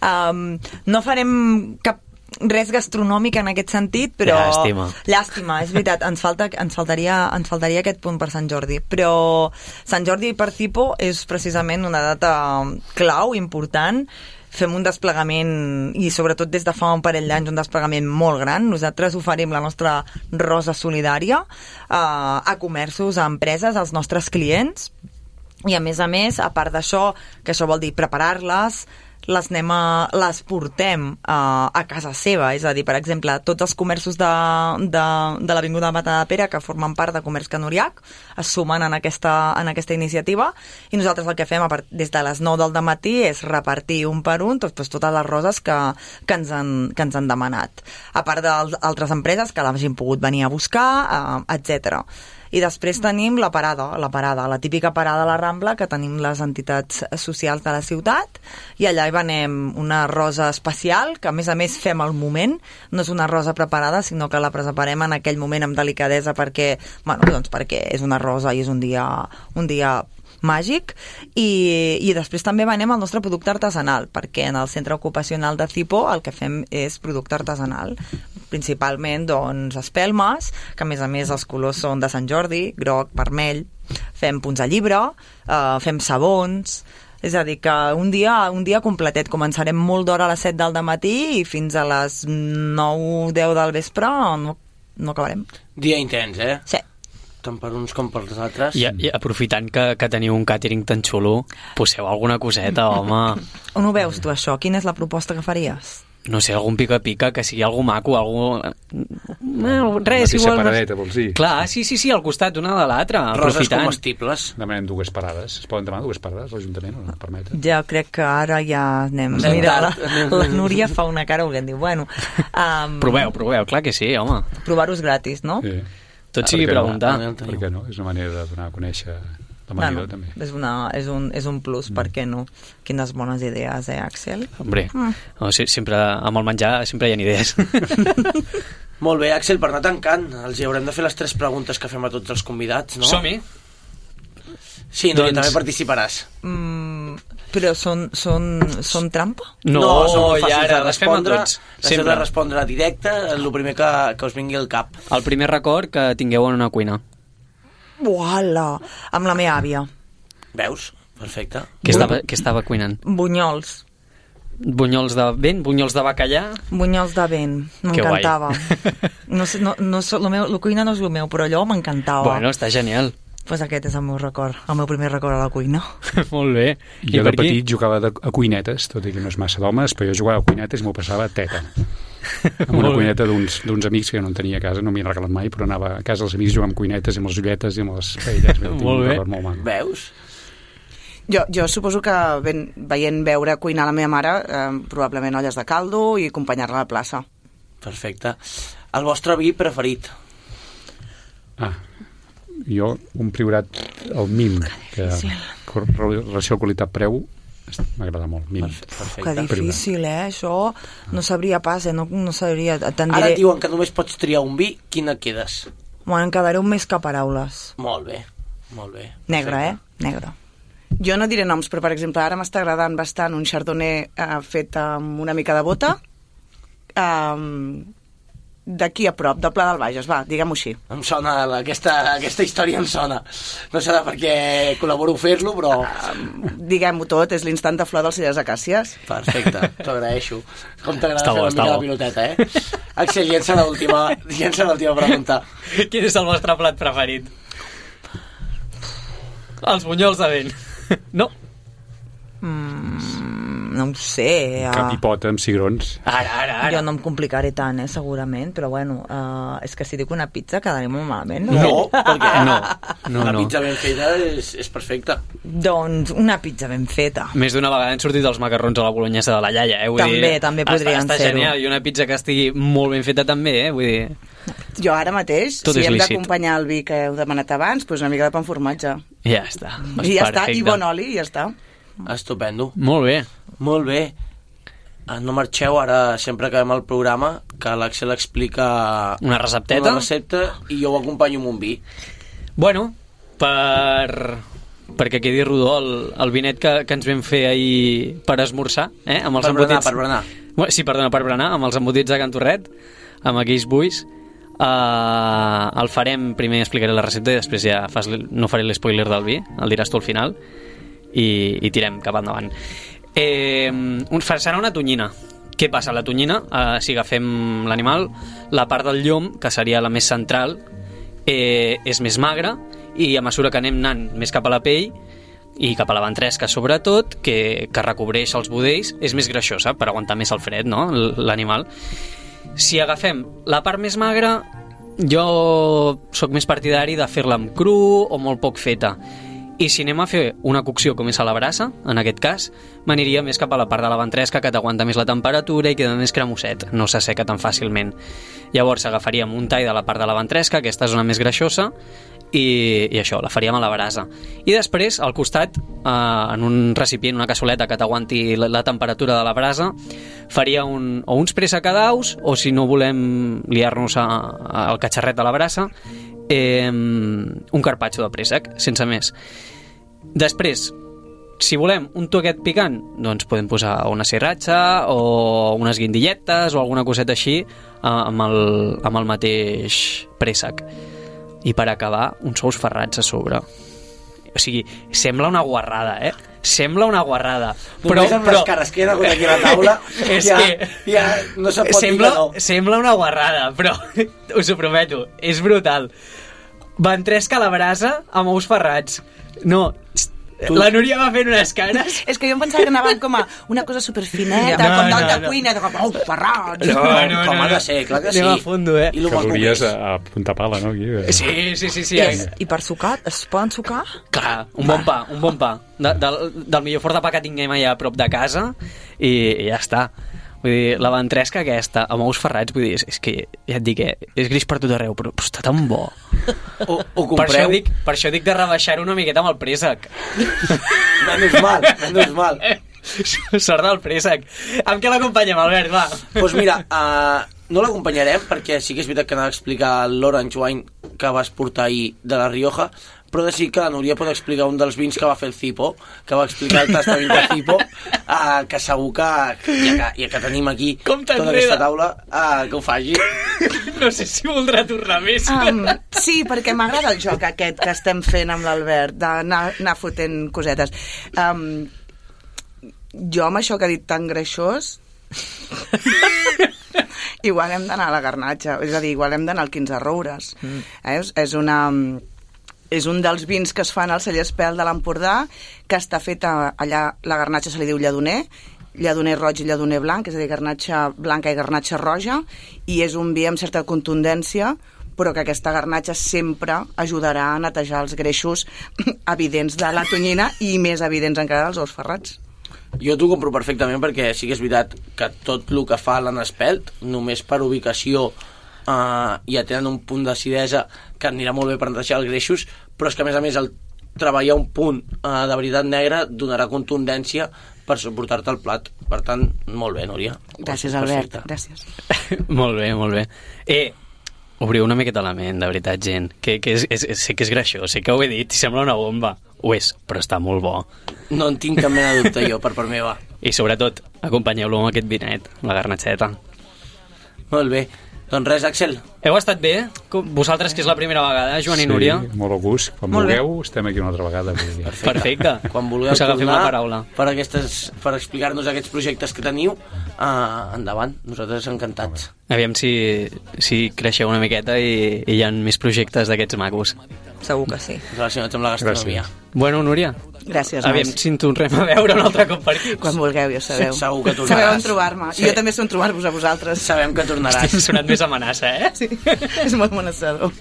[SPEAKER 5] um, no farem cap res gastronòmic en aquest sentit, però...
[SPEAKER 2] Llàstima.
[SPEAKER 5] Llàstima, és veritat, ens, falta, ens, faltaria, ens faltaria aquest punt per Sant Jordi, però Sant Jordi per Cipo és precisament una data clau, important. Fem un desplegament, i sobretot des de fa un parell d'anys, un desplegament molt gran. Nosaltres oferim la nostra rosa solidària eh, a comerços, a empreses, als nostres clients, i a més a més, a part d'això, que això vol dir preparar-les, les anem a, les portem a, a casa seva, és a dir, per exemple, tots els comerços de, de, de l'Avinguda Mata de Pere, que formen part de Comerç Can Uriach, es sumen en aquesta, en aquesta iniciativa, i nosaltres el que fem a part, des de les nou del dematí és repartir un per un tot, doncs, totes les roses que, que, ens han, que ens han demanat, a part d'altres empreses que l'hagin pogut venir a buscar, eh, etcètera. I després tenim la parada, la parada, la típica parada a la Rambla que tenim les entitats socials de la ciutat, i allà hi venem una rosa especial, que a més a més fem al moment, no és una rosa preparada, sinó que la preparem en aquell moment amb delicadesa perquè, bueno, doncs perquè és una rosa i és un dia, un dia màgic, i, i després també venem el nostre producte artesanal, perquè en el centre ocupacional de Cipo el que fem és producte artesanal, principalment doncs espelmes, que a més a més els colors són de Sant Jordi, groc, vermell, fem punts a llibre, eh, fem sabons, és a dir que un dia, un dia completet. Començarem molt d'hora a les set del dematí i fins a les nou deu del vespre no, no acabarem.
[SPEAKER 1] Dia intens, eh?
[SPEAKER 5] Sí.
[SPEAKER 1] Tant per uns com per els altres.
[SPEAKER 2] I, i aprofitant que, que teniu un càtering tan xulo, poseu alguna coseta, home.
[SPEAKER 5] On ho veus tu, això? Quina és la proposta que faries?
[SPEAKER 2] No sé, algun pica-pica, que sigui algú maco, algú... No, res,
[SPEAKER 6] mateixa
[SPEAKER 2] igual...
[SPEAKER 6] paradeta, vols dir?
[SPEAKER 2] Clar, sí, sí, sí, al costat una de l'altra,
[SPEAKER 1] Roses
[SPEAKER 2] aprofitant.
[SPEAKER 1] comestibles.
[SPEAKER 6] Demanem dues parades. Es poden demanar dues parades, l'Ajuntament, o no et permet?
[SPEAKER 5] Ja crec que ara ja anem...
[SPEAKER 1] Anem
[SPEAKER 5] Mira, la,
[SPEAKER 1] tard.
[SPEAKER 5] la Núria fa una cara que diu, bueno... Um,
[SPEAKER 2] Proveu, proveu, clar que sí, home.
[SPEAKER 5] Provar-ho és gratis, no?
[SPEAKER 6] Sí.
[SPEAKER 2] Tot
[SPEAKER 6] Ah,
[SPEAKER 2] sigui
[SPEAKER 6] per què no?
[SPEAKER 2] preguntar.
[SPEAKER 6] Per què no? És una manera de donar a conèixer l'amanidor,
[SPEAKER 5] Bueno,
[SPEAKER 6] també.
[SPEAKER 5] és, una, és, un, és un plus, mm. per què no? Quines bones idees, eh, Axel?
[SPEAKER 2] Hombre,
[SPEAKER 5] Mm.
[SPEAKER 2] no, sí, sempre, amb el menjar sempre hi ha idees.
[SPEAKER 1] Molt bé, Axel, per anar tancant, els hi haurem de fer les tres preguntes que fem a tots els convidats, no?
[SPEAKER 2] Som-hi.
[SPEAKER 1] Sí, Núria,
[SPEAKER 2] Doncs-
[SPEAKER 1] també participaràs.
[SPEAKER 5] Mm, però són, són, són trampa?
[SPEAKER 2] No,
[SPEAKER 1] són molt
[SPEAKER 2] i
[SPEAKER 1] fàcils
[SPEAKER 2] ara
[SPEAKER 1] de
[SPEAKER 2] les fem a
[SPEAKER 1] respondre.
[SPEAKER 2] tots.
[SPEAKER 1] Les heu
[SPEAKER 2] Sempre.
[SPEAKER 1] de respondre directe, el primer que, que us vingui al cap.
[SPEAKER 2] El primer record que tingueu en una cuina.
[SPEAKER 5] Uala! Amb la meva àvia.
[SPEAKER 1] Veus? Perfecte.
[SPEAKER 2] Què estava, què estava cuinant?
[SPEAKER 5] Bunyols.
[SPEAKER 2] Bunyols de vent, bunyols de bacallà...
[SPEAKER 5] Bunyols de vent.
[SPEAKER 2] Que guai.
[SPEAKER 5] M'encantava. No sé, no, no, so- lo meu, la cuina no és el meu, però allò m'encantava.
[SPEAKER 2] Bueno, està genial.
[SPEAKER 5] Pues aquest és el meu record, el meu primer record a la cuina.
[SPEAKER 2] Molt bé. I
[SPEAKER 6] Jo
[SPEAKER 2] per
[SPEAKER 6] de
[SPEAKER 2] aquí?
[SPEAKER 6] petit jugava de, a cuinetes, tot i que no és massa d'homes, però jo jugava a cuinetes i m'ho passava teta. Amb una
[SPEAKER 2] Molt bé.
[SPEAKER 6] cuineta d'uns d'uns amics que no en tenia a casa, no m'hi han regalat mai, però anava a casa dels amics jugant amb cuinetes i amb les ulletes i amb les paelles. Tinc
[SPEAKER 2] Molt
[SPEAKER 6] un
[SPEAKER 2] bé.
[SPEAKER 6] record molt maco.
[SPEAKER 1] Veus?
[SPEAKER 7] Jo, jo suposo que ben, veient veure cuinar la meva mare, eh, probablement olles de caldo i acompanyar-la a la plaça.
[SPEAKER 1] Perfecte. El vostre vi preferit?
[SPEAKER 6] Ah, jo, un priorat, el MIM, que cor- relació qualitat-preu, m'agrada molt, MIM.
[SPEAKER 1] Perfecte.
[SPEAKER 5] Que difícil, eh, això. No sabria pas, eh, no, no sabria... Te'n
[SPEAKER 1] Ara
[SPEAKER 5] diré...
[SPEAKER 1] et diuen que només pots triar un vi, quina quedes?
[SPEAKER 5] Bueno, em quedaré un més que paraules.
[SPEAKER 1] Molt bé, molt bé.
[SPEAKER 5] Negre,
[SPEAKER 1] Perfecte.
[SPEAKER 5] eh? Negre.
[SPEAKER 7] Jo no diré noms, però per exemple ara m'està agradant bastant un chardonnay eh, fet amb una mica de bota, um, d'aquí a prop, del Pla del Bages, va, diguem-ho així.
[SPEAKER 1] Em sona, la- aquesta, aquesta història em sona. No serà perquè col·laboro a fer-lo, però...
[SPEAKER 7] Diguem-ho tot, és l'instant de flor dels Cellers Acàcies.
[SPEAKER 1] Perfecte, t'ho agraeixo. Com t'agrada
[SPEAKER 2] Està
[SPEAKER 1] fer
[SPEAKER 2] bo,
[SPEAKER 1] una
[SPEAKER 2] està
[SPEAKER 1] mica
[SPEAKER 2] bo.
[SPEAKER 1] la piloteta, eh? Axel, llença l'última llença l'última pregunta.
[SPEAKER 2] Quin és el vostre plat preferit? Els bunyols de vent. No?
[SPEAKER 5] Mm, no ho sé. Uh,
[SPEAKER 6] Capipota amb cigrons.
[SPEAKER 2] Ara, ara, ara.
[SPEAKER 5] jo no em complicaré tant, eh, segurament, però bueno, uh, és que si dic una pizza quedaré molt malament.
[SPEAKER 1] No, perquè
[SPEAKER 2] No, no,
[SPEAKER 1] la
[SPEAKER 2] no.
[SPEAKER 1] pizza ben feta és, és perfecta.
[SPEAKER 5] Doncs una pizza ben feta.
[SPEAKER 2] Més d'una vegada han sortit els macarrons a la bolognesa de la iaia, eh? Vull
[SPEAKER 5] També,
[SPEAKER 2] dir,
[SPEAKER 5] també podrien
[SPEAKER 2] està, està
[SPEAKER 5] ser-ho.
[SPEAKER 2] genial, i una pizza que estigui molt ben feta també, eh? Vull dir...
[SPEAKER 7] Jo ara mateix,
[SPEAKER 2] Tot
[SPEAKER 7] si
[SPEAKER 2] és
[SPEAKER 7] hem
[SPEAKER 2] lícit.
[SPEAKER 7] d'acompanyar el vi que heu demanat abans, doncs una mica de pa amb formatge.
[SPEAKER 2] Ja està.
[SPEAKER 7] I ja està,
[SPEAKER 2] Perfecte.
[SPEAKER 7] i bon oli, i ja està.
[SPEAKER 1] Estupendo.
[SPEAKER 2] Molt bé.
[SPEAKER 1] Molt bé. Ah, no marxeu, ara sempre acabem el programa, que l'Axel explica
[SPEAKER 2] Una recepteta.
[SPEAKER 1] una recepta i jo ho acompanyo amb un vi.
[SPEAKER 2] Bueno, per... perquè quedi rodó el, el vinet que, que ens vam fer ahir per esmorzar, eh? Amb els
[SPEAKER 1] Per berenar,
[SPEAKER 2] embotits...
[SPEAKER 1] per berenar.
[SPEAKER 2] Bueno, sí, perdona, per berenar, amb els embotits de Can Torret, amb aquells buis. Uh, el farem, primer explicaré la recepta i després ja fas, no faré l'espoiler del vi, el diràs tu al final i, i tirem cap endavant. Eh, un, serà una tonyina. Què passa? La tonyina, eh, si agafem l'animal, la part del llom, que seria la més central, eh, és més magra i a mesura que anem anant més cap a la pell i cap a la ventresca sobretot, que, que recobreix els budells, és més greixosa per aguantar més el fred, no? L'animal. Si agafem la part més magra, jo sóc més partidari de fer-la amb cru o molt poc feta. I si anem a fer una cocció com és a la brasa, en aquest cas, m'aniria més cap a la part de la ventresca, que t'aguanta més la temperatura i queda més cremoset, no s'asseca tan fàcilment. Llavors agafaríem un tall de la part de la ventresca, aquesta zona més greixosa, i, i això, la faríem a la brasa. I després, al costat, eh, en un recipient, una cassoleta que t'aguanti la, la temperatura de la brasa, faria un, o uns pressacadaus, o si no volem liar-nos a, a, al catxarret de la brasa, eh, un carpaccio de préssec, sense més. Després, si volem un toquet picant, doncs podem posar una sriracha o unes guindilletes o alguna coseta així eh, amb, el, amb el mateix préssec. I per acabar, uns ous ferrats a sobre. O sigui, sembla una guarrada, eh? Sembla una guarrada. Però,
[SPEAKER 1] Només amb
[SPEAKER 2] però...
[SPEAKER 1] les cares que hi ha hagut aquí a la taula
[SPEAKER 2] És
[SPEAKER 1] ja,
[SPEAKER 2] que-
[SPEAKER 1] ja no se't pot
[SPEAKER 2] sembla,
[SPEAKER 1] dir que no.
[SPEAKER 2] sembla una guarrada, però us ho prometo, és brutal. Ventresca a la brasa amb ous ferrats. No,
[SPEAKER 1] Tu...
[SPEAKER 2] La Núria va fent unes cares.
[SPEAKER 7] És que jo em pensava que anaven com a una cosa superfineta,
[SPEAKER 2] No,
[SPEAKER 7] com
[SPEAKER 2] no,
[SPEAKER 7] d'alta
[SPEAKER 2] no.
[SPEAKER 7] cuina, de com, oh, ferrats.
[SPEAKER 1] No,
[SPEAKER 2] no,
[SPEAKER 1] no, com
[SPEAKER 2] no,
[SPEAKER 1] ha
[SPEAKER 2] no.
[SPEAKER 1] de ser, clar que sí.
[SPEAKER 2] Anem a fondo, eh?
[SPEAKER 1] I lo maco que
[SPEAKER 6] Calories
[SPEAKER 1] és.
[SPEAKER 6] a, a punta pala, no? Aquí, eh?
[SPEAKER 2] Sí, sí, sí, sí.
[SPEAKER 5] I, I per sucar, es poden sucar?
[SPEAKER 2] Clar, un bon pa, un bon pa. De, del, del millor fort de pa que tinguem allà a prop de casa i, i ja està. Vull dir, la ventresca aquesta, amb ous ferrats, vull dir, és, és que, ja et dic, eh, és gris per tot arreu, però, però està tan bo.
[SPEAKER 1] O, o
[SPEAKER 2] Per això,
[SPEAKER 1] compreu...
[SPEAKER 2] dic, per això dic de rebaixar una miqueta amb el préssec.
[SPEAKER 1] Menys mal, menys mal.
[SPEAKER 2] Sort del préssec. Amb què l'acompanyem, Albert, va?
[SPEAKER 1] Doncs pues mira, uh, no l'acompanyarem perquè sí que és veritat que anava a explicar l'Orange Wine que vas portar ahir de la Rioja, però de sí que la Núria pot explicar un dels vins que va fer el Cipo, que va explicar el tastament de Cipo, uh, que segur que, ja que, ja que tenim aquí
[SPEAKER 2] Com
[SPEAKER 1] tota
[SPEAKER 2] t'enreda.
[SPEAKER 1] aquesta taula, uh, que ho faci.
[SPEAKER 2] No sé si voldrà tornar més.
[SPEAKER 7] Um, sí, perquè m'agrada el joc aquest que estem fent amb l'Albert, d'anar anar fotent cosetes. Um, jo amb això que ha dit tan greixós igual hem d'anar a la garnatxa, és a dir, igual hem d'anar al quinze Roures. Mm. Eh? És, és una... És un dels vins que es fan al celler Espel de l'Empordà, que està fet a, allà, la garnatxa se li diu lladoner, lladoner roig i lladoner blanc, és a dir, garnatxa blanca i garnatxa roja, i és un vi amb certa contundència, però que aquesta garnatxa sempre ajudarà a netejar els greixos evidents de la tonyina i més evidents encara dels ous ferrats.
[SPEAKER 1] Jo t'ho compro perfectament perquè sí que és veritat que tot el que fa l'Anna Espelt, només per ubicació, Uh, ja tenen un punt d'acidesa que anirà molt bé per netejar els greixos, però és que a més a més el treballar un punt uh, de veritat negra donarà contundència per suportar-te el plat. Per tant, molt bé, Núria.
[SPEAKER 7] Gràcies, Albert, gràcies.
[SPEAKER 2] Molt bé, molt bé. Eh, obriu una miqueta la ment, de veritat, gent, que, que és, és, sé que és greixós, sé que ho he dit, i sembla una bomba. Ho és, però està molt bo.
[SPEAKER 1] No en tinc cap mena de dubte jo, per part meva.
[SPEAKER 2] I sobretot, acompanyeu-lo amb aquest vinet, la garnatxeta.
[SPEAKER 1] Molt bé. Doncs res, Axel.
[SPEAKER 2] Heu estat bé? Com vosaltres, que és la primera vegada, Joan i Núria?
[SPEAKER 6] Sí, molt a gust. Quan
[SPEAKER 5] Molt
[SPEAKER 6] vulgueu, estem aquí una altra vegada.
[SPEAKER 1] Perfecte.
[SPEAKER 2] Perfecte.
[SPEAKER 1] Quan vulgueu
[SPEAKER 2] Us agafem
[SPEAKER 1] tornar
[SPEAKER 2] la paraula.
[SPEAKER 1] per, aquestes, per explicar-nos aquests projectes que teniu, uh, endavant. Nosaltres encantats.
[SPEAKER 2] Aviam si, si creixeu una miqueta i, i hi ha més projectes d'aquests macos.
[SPEAKER 5] Segur que sí.
[SPEAKER 1] Relacionats amb la gastronomia.
[SPEAKER 6] Gràcies.
[SPEAKER 2] Bueno, Núria,
[SPEAKER 7] Gràcies,
[SPEAKER 2] aviam
[SPEAKER 7] nois.
[SPEAKER 2] si en tornem a veure un altre cop per aquí.
[SPEAKER 7] Quan vulgueu, ja sabeu.
[SPEAKER 1] Segur que tornaràs.
[SPEAKER 7] Sabeu on trobar-me.
[SPEAKER 1] Sí.
[SPEAKER 7] I jo també sé on trobar-vos a vosaltres.
[SPEAKER 1] Sabem que tornaràs.
[SPEAKER 2] Has sonat més amenaça, eh?
[SPEAKER 7] Sí, és molt amenaçador.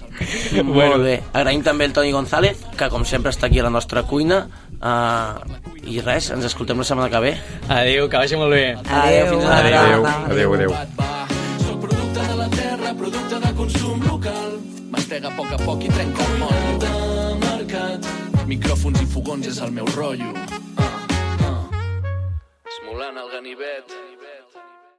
[SPEAKER 1] Molt bé. Agraïm també el Toni González, que com sempre està aquí a la nostra cuina. Uh, I res, ens escoltem la setmana que ve.
[SPEAKER 2] Adéu, que vagi molt bé.
[SPEAKER 1] Adéu, fins la
[SPEAKER 6] Adéu,
[SPEAKER 1] vegada.
[SPEAKER 6] adéu, adéu.
[SPEAKER 4] Soc producte de la terra, producte de consum local. Mastega a poc a poc i trenca el motllo. De mercat, micròfons i fogons és el meu rotllo. Uh, uh. Esmolant el ganivet.